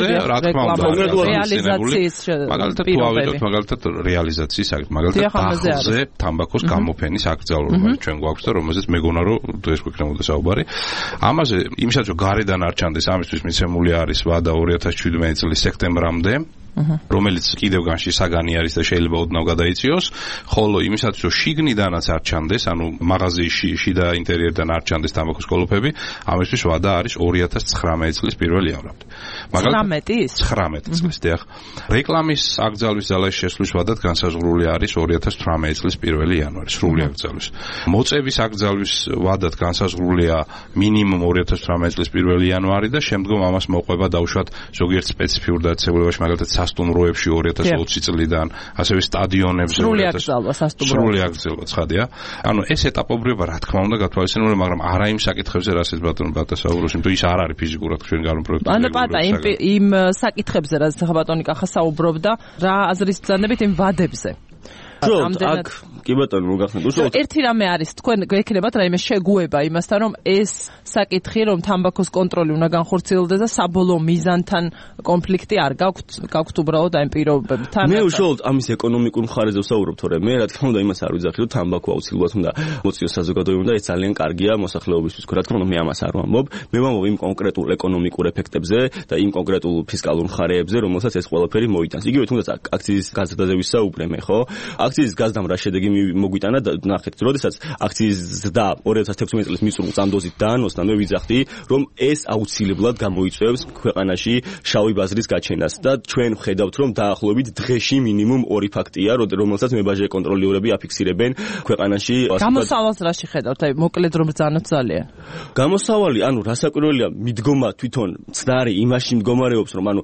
რეალიზაციის მაგალითად თუ ავიდოთ მაგალითად რეალიზაციის საკითხი მაგალითად დახზე თამბაქოს გამოფენის აკრძალვა ჩვენ გვაქვს და რომელზეც მეგონა რომ დღეს გვექნებოდა საუბარი ამაზე იმისაც რომ გარედან არ ჩანდეს ამისთვის მიცემული არის ვადა 2017 წლის სექტემბრამდე რომელიც კიდევ განში საგანი არის და შეიძლება ოდნავ გადაიწიოს, ხოლო იმისაც რომ შიგნიდანაც არ ჩანდეს, ანუ მაღაზიაში შიდა ინტერიერიდან არ ჩანდეს თამბაქოს კოლოფები, ამისთვის ვადა არის 2019 წლის 1 ივნისამდე. 19 წლის დიახ. რეკლამის აკრძალვის ძალაში შესვლის ვადად განსაზღვრული არის 2018 წლის 1 იანვარი, სრული აკრძალვის. მოწევის აკრძალვის ვადად განსაზღვრულია მინიმუმ 2018 წლის 1 იანვარი და შემდგომ ამას მოყვება დაუშვათ ზოგიერთ სპეციფიურ დაწესებულებაში, მაგალითად სასტუმროებში 2020 წლიდან, ასევე სტადიონებზე სრული აკრძალვა სასტუმროებში. სრული აკრძალვა ცხადია. ანუ ეს ეტაპობრივება რა თქმა უნდა გათვალისწინებული, მაგრამ არა იმ საკითხებზე, რასაც ბატონ პატა საუბრობს, იმიტომ ის არ არის ფიზიკურად ჩვენ განპროექტებული. ანუ პატა იმ საკითხებზე, რაც ბატონი კახა საუბრობდა, რა აზრის ბრძანებით იმ ვადებზე. აქ კი ბატონო მოგახსენებთ უშუალოდ ერთი რამე არის თქვენ გექნებათ რაიმე შეგუება იმასთან რომ ეს საკითხი რომ თამბაქოს კონტროლი უნდა განხორციელდეს და საბოლოო მიზანთან კონფლიქტი არ გაქვთ უბრალოდ აი პირობებთან მე უშუალოდ ამის ეკონომიკურ მხარეზე ვსაუბრობ თორე მე რა თქმა უნდა იმას არ ვიძახი რომ თამბაქო აუცილებლად უნდა მოწიოს საზოგადოებამ და ეს ძალიან კარგია მოსახლეობისთვის რა თქმა უნდა მე ამას არ ვამბობ მე ვამბობ იმ კონკრეტულ ეკონომიკურ ეფექტებზე და იმ კონკრეტულ ფისკალურ მხარეებზე რომელსაც ეს ყველაფერი მოიტანს იგივე თუნდაც აქციის გაზრდაზე ვისაუბრე მე ხო აქციის გაზრდამ რა შედეგი მოგვიტანა და ნახეთ, როდესაც აქციის ზრდა 2016 წლის მისურვილ წამდოზით დაანოსნა, მე ვიძახდი, რომ ეს აუცილებლად გამოიწვევს ქვეყანაში შავი ბაზრის გაჩენას და ჩვენ ვხედავთ, რომ დაახლოებით დღეში მინიმუმ 2 ფაქტია, რომელსაც მებაჟე კონტროლერები აფიქსირებენ ქვეყანაში. გამოსავალს რაში ხედავთ? აი, მოკლედ რომ ბრძანოთ ძალიან. გამოსავალი, ანუ რასაკვირველია, მიდგომა თვითონ ცდარი იმაში მდგომარეობს, რომ ანუ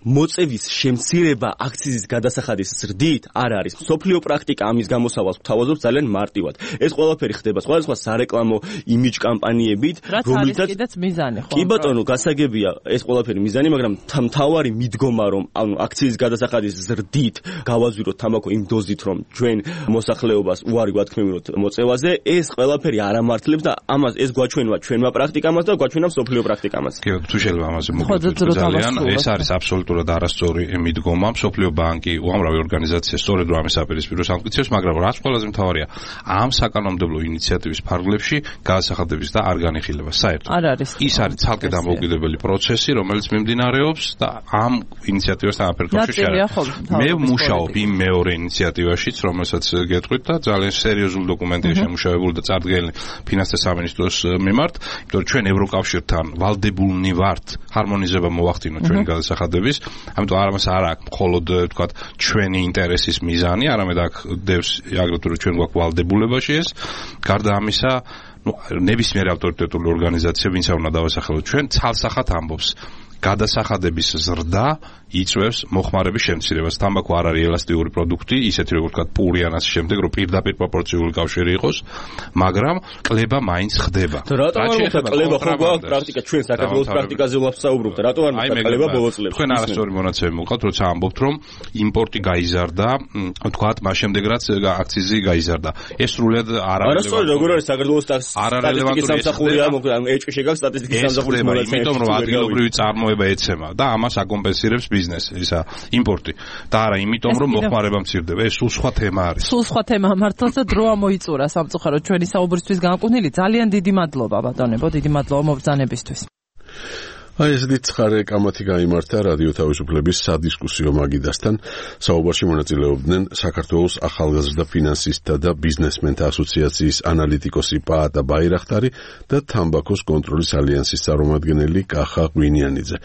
მოწევის შემცირება აქციის გადასახადის ზრდით არ არის. სოფლიო პრაქტიკა ამის გამოსავალს გვთავაზობს ძალიან მარტივად. ეს ყველაფერი ხდება სხვადასხვა სარეკლამო იმიჯ კამპანიებით, რომელთაც კიდეც მიზანი ხო? კი ბატონო, გასაგებია ეს ყველაფერი მიზანი, მაგრამ მთავარი მიდგომა რომ ანუ აქციის გადასახადის ზრდით გავაზვიროთ თამბაქო იმ დოზით, რომ ჩვენ მოსახლეობას უარი გვათქმევინოთ მოწევაზე, ეს ყველაფერი არ ამართლებს და ამას ეს გვაჩვენება ჩვენმა პრაქტიკამაც და გვაჩვენება სოფლიო პრაქტიკამაც. კი, თუ შეიძლება ამაზე მოგვიყვებით ძალიან, ეს არის აბსოლუტურად აბსოლუტურად არასწორი მიდგომა. მსოფლიო ბანკი, უამრავი ორგანიზაცია სწორედ რომ ამის აპირისპიროს ამტკიცებს, მაგრამ რაც ყველაზე მთავარია, ამ საკანონმდებლო ინიციატივის ფარგლებში გადასახადების და არ განიხილება საერთოდ. არ არის. ის არის ცალკე დამოუკიდებელი პროცესი, რომელიც მიმდინარეობს და ამ ინიციატივასთან აფერხებში შეაერთება. მე ვმუშაობ იმ მეორე ინიციატივაშიც, რომელსაც გეტყვით და ძალიან სერიოზული დოკუმენტია შემუშავებული და წარდგენილი ფინანსთა სამინისტროს მიმართ, იმიტომ რომ ჩვენ ევროკავშირთან ვალდებულნი ვართ ჰარმონიზება მოვახდინოთ ჩვენი გადასახადების, ამიტომ ამას არ აქვს მხოლოდ თქვათ ჩვენი ინტერესის მიზანი, არამედ აქ დევს აგრეთვე რომ ჩვენ გვაქვს ვალდებულებაში ეს. გარდა ამისა, ნებისმიერ ავტორიტეტული ორგანიზაცია, ვინც არ უნდა დავასახელოთ ჩვენ, ცალსახად ამბობს გადასახადების ზრდა იწვევს მოხმარების შემცირებას. თამბაქო არ არის ელასტიური პროდუქტი, ისეთი როგორც ვთქვათ პური ან ასე შემდეგ, რომ პირდაპირ პროპორციული კავშირი იყოს, მაგრამ კლება მაინც ხდება. რატომ არ მოხდა კლება ხო გვაქვს პრაქტიკა, ჩვენ საქართველოს პრაქტიკაზე ვაფსაუბრობთ, რატომ არ მოხდა კლება ბოლო წლებში? თქვენ არასწორი მონაცემი მოგყავთ, როცა ამბობთ, რომ იმპორტი გაიზარდა, ვთქვათ, მას შემდეგ რაც აქციზი გაიზარდა. ეს სრულად არასწორი, როგორ არის საქართველოს სტატისტიკის სამსახურია, ანუ ეჭვი შეგაქვს სტატისტიკის სამსახურის მონაცემები, იმიტომ რომ ადგილობრივი წარმოება ეცემა და ამას აკომპენსირებს ბიზნესი, ისა იმპორტი. და არა იმიტომ რომ მოხმარება მცირდება, ეს სულ სხვა თემა არის. სულ სხვა თემა მართლაც და დრო ამოიწურა სამწუხაროდ ჩვენი საუბრისთვის განკუთვნილი. ძალიან დიდი მადლობა ბატონებო, დიდი მადლობა მობრძანებისთვის. აი ესეთი ცხარე კამათი გაიმართა რადიო თავისუფლების სადისკუსიო მაგიდასთან. საუბარში მონაწილეობდნენ საქართველოს ახალგაზრდა ფინანსისტთა და ბიზნესმენთა ასოციაციის ანალიტიკოსი პაატა ბაირახტარი და თამბაქოს კონტროლის ალიანსის წარმომადგენელი კახა ღვინიანიძე.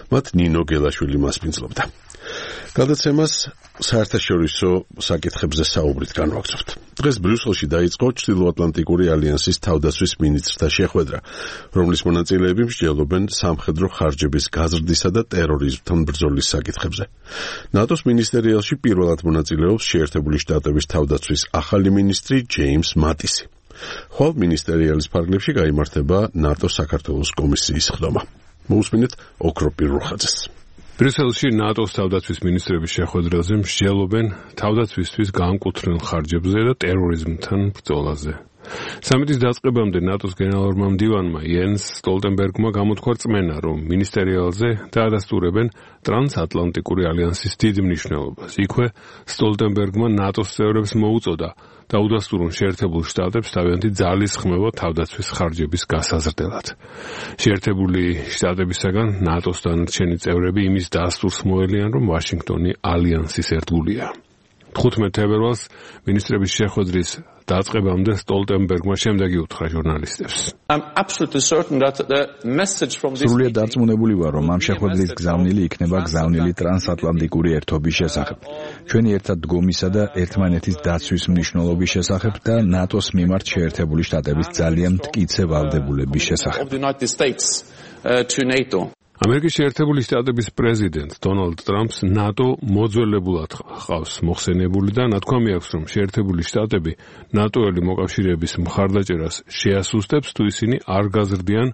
მათ ნინო გელაშვილი მასპინძლობდა. გადაცემას საერთაშორისო საკითხებზე საუბრით განვაგრძობთ. დღეს ბრიუსელში დაიწყო ჩრდილოატლანტიკური ალიანსის თავდაცვის მინისტრთა შეხვედრა, რომლის მონაწილეები მსჯელობენ სამხედრო ხარჯების გაზრდისა და ტერორიზმთან ბრძოლის საკითხებზე. ნატოს მინისტერიალში პირველად მონაწილეობს შეერთებული შტატების თავდაცვის ახალი მინისტრი ჯეიმს მატისი. ხვალ მინისტერიალის ფარგლებში გაიმართება ნატოს საქართველოს კომისიის ხდომა. მოусმინეთ ოქროპირ რუხაძეს. ბრიუსელში ნატოს თავდაცვის მინისტრების შეხვედრაზე მსჯელობენ თავდაცვისთვის განკუთვნილ ხარჯებზე და ტერორიზმთან ბრძოლაზე. სამიტის დაწყებამდე ნატოს გენერალურმა მდივანმა იენს სტოლტენბერგმა გამოთქვა რწმენა, რომ მინისტერიალზე დაადასტურებენ ტრანსატლანტიკური ალიანსის დიდ მნიშვნელობას. იქვე სტოლტენბერგმა ნატოს წევრებს მოუწოდა დაუდასტურონ შეერთებულ შტატებს თავიანთი ძალის ხმევა თავდაცვის ხარჯების გასაზრდელად. შეერთებული შტატებისაგან ნატოს დანარჩენი წევრები იმის დასტურს მოელიან, რომ ვაშინგტონი ალიანსის ერთგულია. 15 თებერვალს მინისტრების შეხვედრის დაწყებამდე სტოლტენბერგმა შემდეგი უთხრა ჟურნალისტებს. სრულიად დარწმუნებული ვარ, რომ ამ შეხვედრის გზავნილი იქნება გზავნილი ტრანსატლანტიკური ერთობის შესახებ, ჩვენი ერთად დგომისა და ერთმანეთის დაცვის მნიშვნელობის შესახებ და ნატოს მიმართ შეერთებული შტატების ძალიან მტკიცე ვალდებულების შესახებ. ამერიკის შეერთებული შტატების პრეზიდენტ დონალდ ტრამპს ნატო მოძველებულად ხავს მოხსენებული და ნათქვამი აქვს, რომ შეერთებული შტატები ნატოელი მოკავშირეების მხარდაჭერას შეასუსტებს, თუ ისინი არ გაზრდიან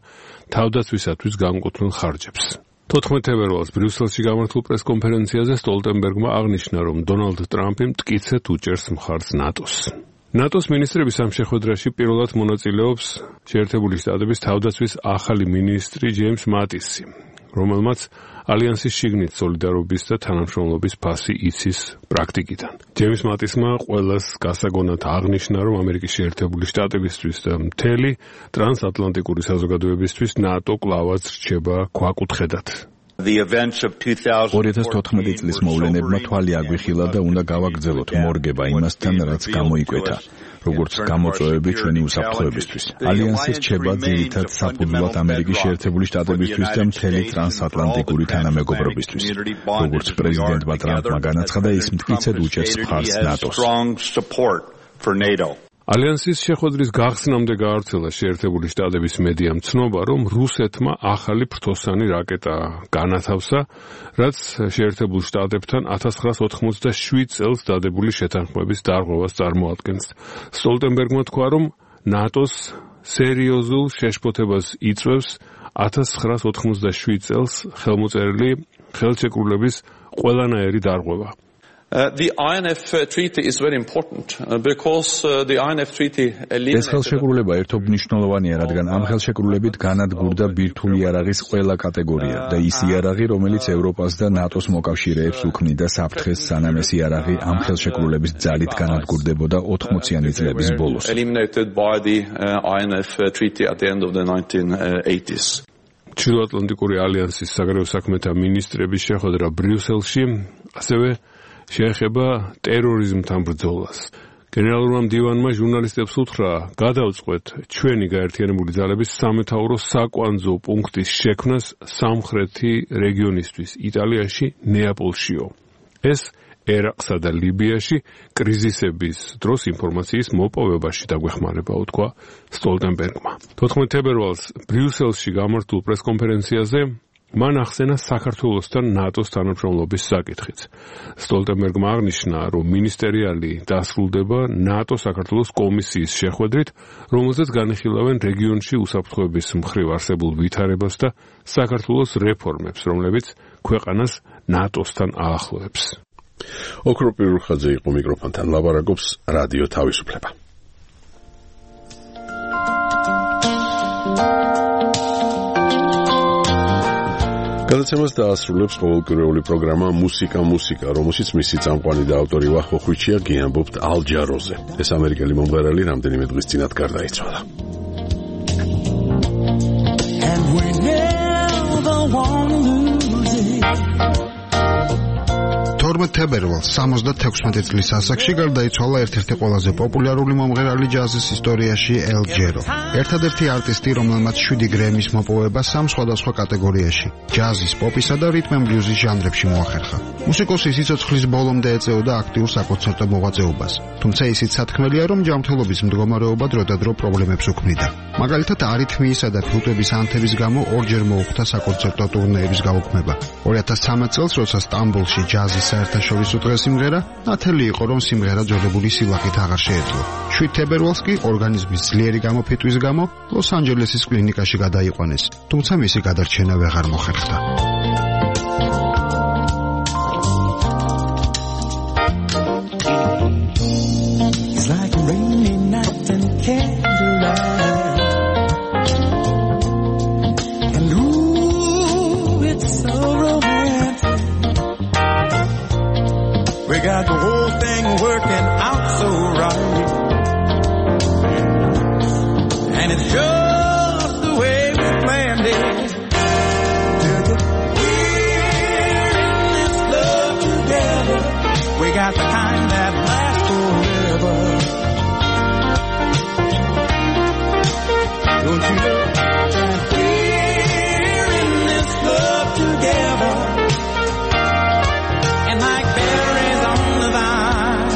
თავდაცვისათვის განკუთვნილ ხარჯებს. 14 თებერვალს ბრიუსელში გამართულ პრესკონფერენციაზე სტოლტენბერგმა აღნიშნა, რომ დონალდ ტრამპი მტკიცედ უჭერს მხარს ნატოს. ნატოს მინისტრების ამ შეხვედრაში პირველად მონაწილეობს შეერთებული შტატების თავდაცვის ახალი მინისტრი ჯეიმს მატისი, რომელმაც ალიანსის შიგნით სოლიდარობის და თანამშრომლობის ფასი იცის პრაქტიკიდან. ჯეიმს მატისმა ყველას გასაგონად აღნიშნა, რომ ამერიკის შეერთებული შტატებისთვის და მთელი ტრანსატლანტიკური საზოგადოებისთვის ნატო კლავაც რჩება ქვაკუთხედად. 2014 წლის მოვლენებმა თვალი აგვიხილა და უნდა გავაგრძელოთ მორგება იმასთან, რაც გამოიკვეთა, როგორც გამოწვევები ჩვენი უსაფრთხოებისთვის. ალიანსი რჩება ძირითად საფუძვლად ამერიკის შეერთებული შტატებისთვის და მთელი ტრანსატლანტიკური თანამეგობრობისთვის. როგორც პრეზიდენტმა ტრამპმა განაცხადა, ის მტკიცედ უჭერს მხარს ნატოს. ალიანსის შეხვედრის გახსნამდე გაავრცელა შეერთებული შტატების მედიამ ცნობა, რომ რუსეთმა ახალი ფრთოსანი რაკეტა განათავსა, რაც შეერთებულ შტატებთან 1987 წელს დადებული შეთანხმების დარღვევას წარმოადგენს. სტოლტენბერგმა თქვა, რომ ნატოს სერიოზულ შეშფოთებას იწვევს 1987 წელს ხელმოწერილი ხელშეკრულების ყველანაირი დარღვევა. The INF treaty is very important because the INF treaty ეს ხელშეკრულება ერთობნიშნულოვანია, რადგან ამ ხელშეკრულებით განადგურდა ბირთვული იარაღის ყველა კატეგორია და ის იარაღი, რომელიც ევროპას და ნატოს მოკავშირეებს უქმნიდა საფრთხეს, სანამ ეს იარაღი ამ ხელშეკრულების ძალით განადგურდებოდა 80-იანი წლების ბოლოს. Eliminated by the INF treaty at the end of the 1980s. ჩრდილოატლანტიკური ალიანსის საგარეო საქმეთა მინისტრების შეხვედრა ბრიუსელში ასევე შეეხება ტერორიზმთან ბრძოლას. გენერალურმა მდივანმა ჟურნალისტებს უთხრა, გადავწყვეთ ჩვენი გაერთიანებული ძალების სამეთაურო საკვანძო პუნქტის შექმნას სამხრეთი რეგიონისთვის, იტალიაში, ნეაპოლშიო. ეს ერაყსა და ლიბიაში კრიზისების დროს ინფორმაციის მოპოვებაში დაგვეხმარება, უთქვა სტოლტენბერგმა. 14 თებერვალს ბრიუსელში გამართულ პრესკონფერენციაზე მან ახსენა საქართველოსთან ნატოს თანამშრომლობის საკითხიც. სტოლტენბერგმა აღნიშნა, რომ მინისტერიალი დასრულდება ნატო-საქართველოს კომისიის შეხვედრით, რომელზეც განიხილავენ რეგიონში უსაფრთხოების მხრივ არსებულ ვითარებას და საქართველოს რეფორმებს, რომლებიც ქვეყანას ნატოსთან აახლოებს. ოქრო პირურხაძე იყო მიკროფონთან, ლაპარაკობს რადიო თავისუფლება. გადაცემას დაასრულებს ყოველკვირეული პროგრამა მუსიკა, რომელშიც მისი წამყვანი და ავტორი ვახო ხვიჩია გიამბობთ ალ ჯაროზე. ეს ამერიკელი მომღერალი რამდენიმე დღის წინათ გარდაიცვალა. 12 თებერვალს 76 წლის ასაკში გარდაიცვალა ერთ-ერთი ყველაზე პოპულარული მომღერალი ჯაზის ისტორიაში ელ ჯერო. ერთადერთი არტისტი, რომელმაც 7 გრემის მოპოვება 3 სხვადასხვა კატეგორიაში, ჯაზის, პოპისა და რიტმ ენ ბლიუზის ჟანრებში მოახერხა. მუსიკოსი სიცოცხლის ბოლომდე ეწეოდა აქტიურ საკონცერტო მოღვაწეობას. თუმცა ისიც სათქმელია, რომ ჯანმრთელობის მდგომარეობა დროდადრო პრობლემებს უქმნიდა. მაგალითად, არითმიისა და ფილტვების ანთების გამო ორჯერ მოუხდა საკონცერტო ტურნეების გაუქმება. 2013 წელს, როცა სტამბოლში ჯაზის საერთაშორისო დღე სიმღერა, ნათელი იყო, რომ სიმღერა ძველებული სილახით აღარ შეეძლო. 7 თებერვალს კი ორგანიზმის ძლიერი გამოფიტვის გამო ლოს-ანჯელესის კლინიკაში გადაიყვანეს, თუმცა მისი გადარჩენა ვეღარ მოხერხდა. We got the whole thing working out so right, and it's just the way we planned it. We're in this love together. We got the kind that lasts forever. Don't you know that we're in this love together? And like berries on the vine,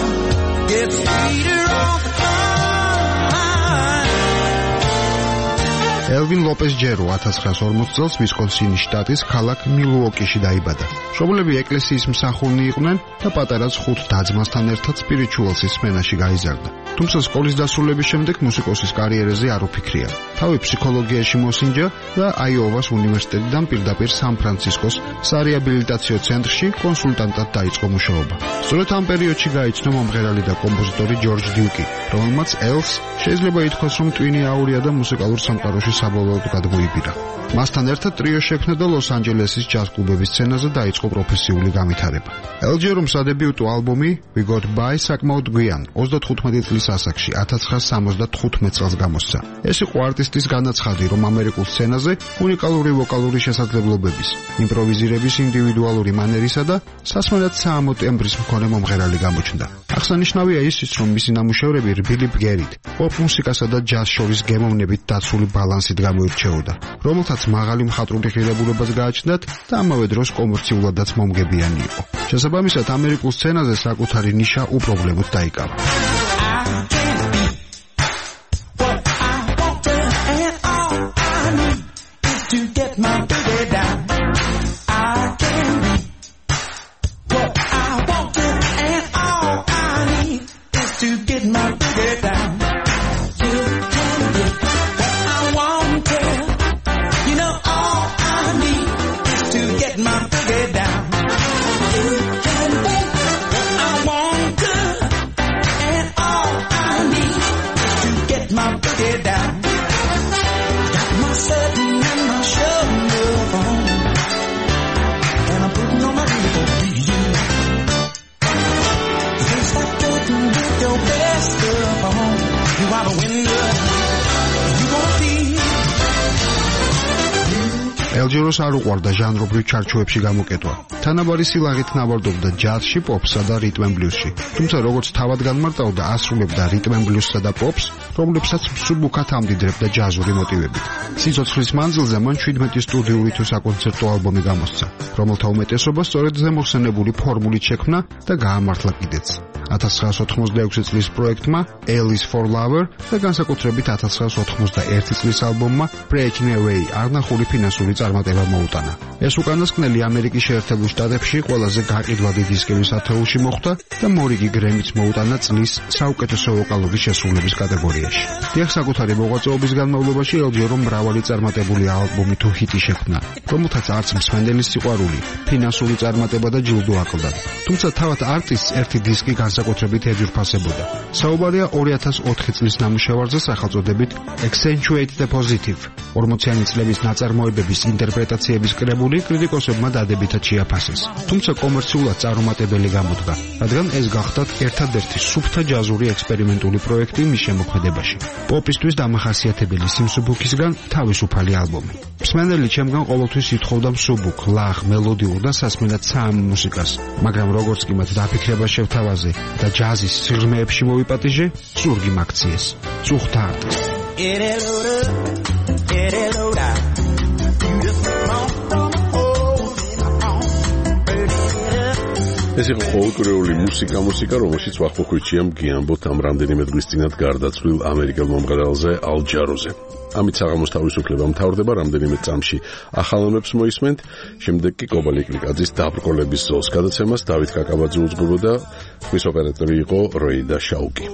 gets sweeter all the time. ელვინ ლოპეს ჯერო 1940 წელს ვისკონსინის შტატის ქალაქ მილუოკიში დაიბადა. მშობლები ეკლესიის მსახურნი იყვნენ და პატარაც 5 და-ძმასთან ერთად სპირიჩუალსის სმენაში გაიზარდა. თუმცა სკოლის დასრულების შემდეგ მუსიკოსის კარიერაზე არ უფიქრია. თავი ფსიქოლოგიაში მოსინჯა და აიოვას უნივერსიტეტიდან პირდაპირ სან-ფრანცისკოს სარეაბილიტაციო ცენტრში კონსულტანტად დაიწყო მუშაობა. სწორედ ამ პერიოდში გაიცნო მომღერალი და კომპოზიტორი ჯორჯ დიუკი, რომელმაც ელს შეიძლება ითქვას, რომ ტვინი აურია და მუსიკალურ სამყაროში საბოლოოდ გადმოიბირა. მასთან ერთად ტრიო შექმნა და ლოს-ანჯელესის ჯაზ კლუბების სცენაზე დაიწყო პროფესიული განვითარება. ელ ჯერომ სადებიუტო ალბომი We Got By საკმაოდ გვიან 35 წლის ასაკში 1975 წელს გამოსცა. ეს იყო არტისტის განაცხადი, რომ ამერიკულ სცენაზე უნიკალური ვოკალური შესაძლებლობების, იმპროვიზირების ინდივიდუალური მანერისა და სასმელად საამო ტემბრის მქონე მომღერალი გამოჩნდა. აღსანიშნავია ისიც, რომ მისი ნამუშევრები რბილი ბგერით, პოპ მუსიკასა და ჯაზ შორის გემოვნებით დაცული ბალანსით გამოირჩეოდა, რომელთაც მაღალი მხატვრული ღირებულებას გააჩნდათ და ამავე დროს კომერციულადაც მომგებიანი იყო. შესაბამისად, ამერიკულ სცენაზე საკუთარი ნიშა უპრობლემოდ დაიკავა. My and my shoulder phone, and I'm putting on my uniform for you. Things like working with your best stuff on. You are the winner, you gonna be. ელჯეროს არ უყვარდა ჟანრობრივ ჩარჩოებში გამოკეტვა. თანაბარი სილაღით ნავარდობდა ჯაზში, პოპსა და რიტმ ენ ბლუზში. თუმცა როგორც თავად განმარტავდა, ასრულებდა რიტმ ენ ბლუზსა და პოპს, რომლებსაც მსუბუქად ამდიდრებდა ჯაზური მოტივებით. სიცოცხლის მანძილზე მან 17 სტუდიური თუ საკონცერტო ალბომი გამოსცა, რომელთა უმეტესობა სწორედ ზემოხსენებული ფორმულით შექმნა და გაამართლა კიდეც. 1986 წლის პროექტმა Alice for Lover და განსაკუთრებით 1991 წლის ალბომმა Breaking Away არნახული ფინანსური წარმატება მოუტანა. ეს უკანასკნელი ამერიკის შეერთებულ შტატებში ყველაზე გაყიდვადი დისკების ათეულში მოხვდა და მორიგი გრემიც მოუტანა წლის საუკეთესო ვოკალური შესრულების კატეგორიაში. დიახ, საკუთარი მოღვაწეობის განმავლობაში ელჯერომ მრავალი წარმატებული ალბომი თუ ჰიტი შექმნა, რომელთაც არც მსმენელის სიყვარული, ფინანსური წარმატება და ჯილდო აკლდა. თუმცა თავად არტისტს ერთი დისკი განსაკუთრებით ეძურფასებოდა. საუბარია 2004 წლის ნამუშევარზე სახელწოდებით Accentuate the Positive. 40-იანი წლების ნაწარმოებების ინტერპრეტაციების კრებული კრიტიკოსებმა დადებითად შეაფასეს. თუმცა კომერციულად წარუმატებელი გამოდგა, რადგან ეს გახდათ ერთადერთი სუფთა ჯაზური ექსპერიმენტული პროექტი მის შემოქმედებაში. პოპისთვის დამახასიათებელი სიმსუბუქისგან თავისუფალი ალბომი. მსმენელი ჩემგან ყოველთვის ითხოვდა მსუბუქ, ლაღ, მელოდიურ და სასმელად საამ მუსიკას, მაგრამ როგორც კი მათ დაფიქრება შევთავაზე და ჯაზის სიღრმეებში მოვიპატიჟე, ზურგი მაქციეს. წუხდა არტისტ. ეს იყო ფოლკლორული მუსიკა, რომელშიც ვახუხვიჩია მგიამბოთ ამ რამდენიმე დღის წინათ გარდაცვლილ ამერიკელ მომღერალზე ალ ჯაროზე. ამით საღამოს თავისუფლება მთავრდება, რამდენიმე წამში ახალამებს მოისმენთ, შემდეგ კი კობალიკლიკაძის დაბრკოლების ზოლს გადაცემას დავით კაკაბაძე უძღვებოდა, ხმის ოპერატორი იყო როიდა შაუკი.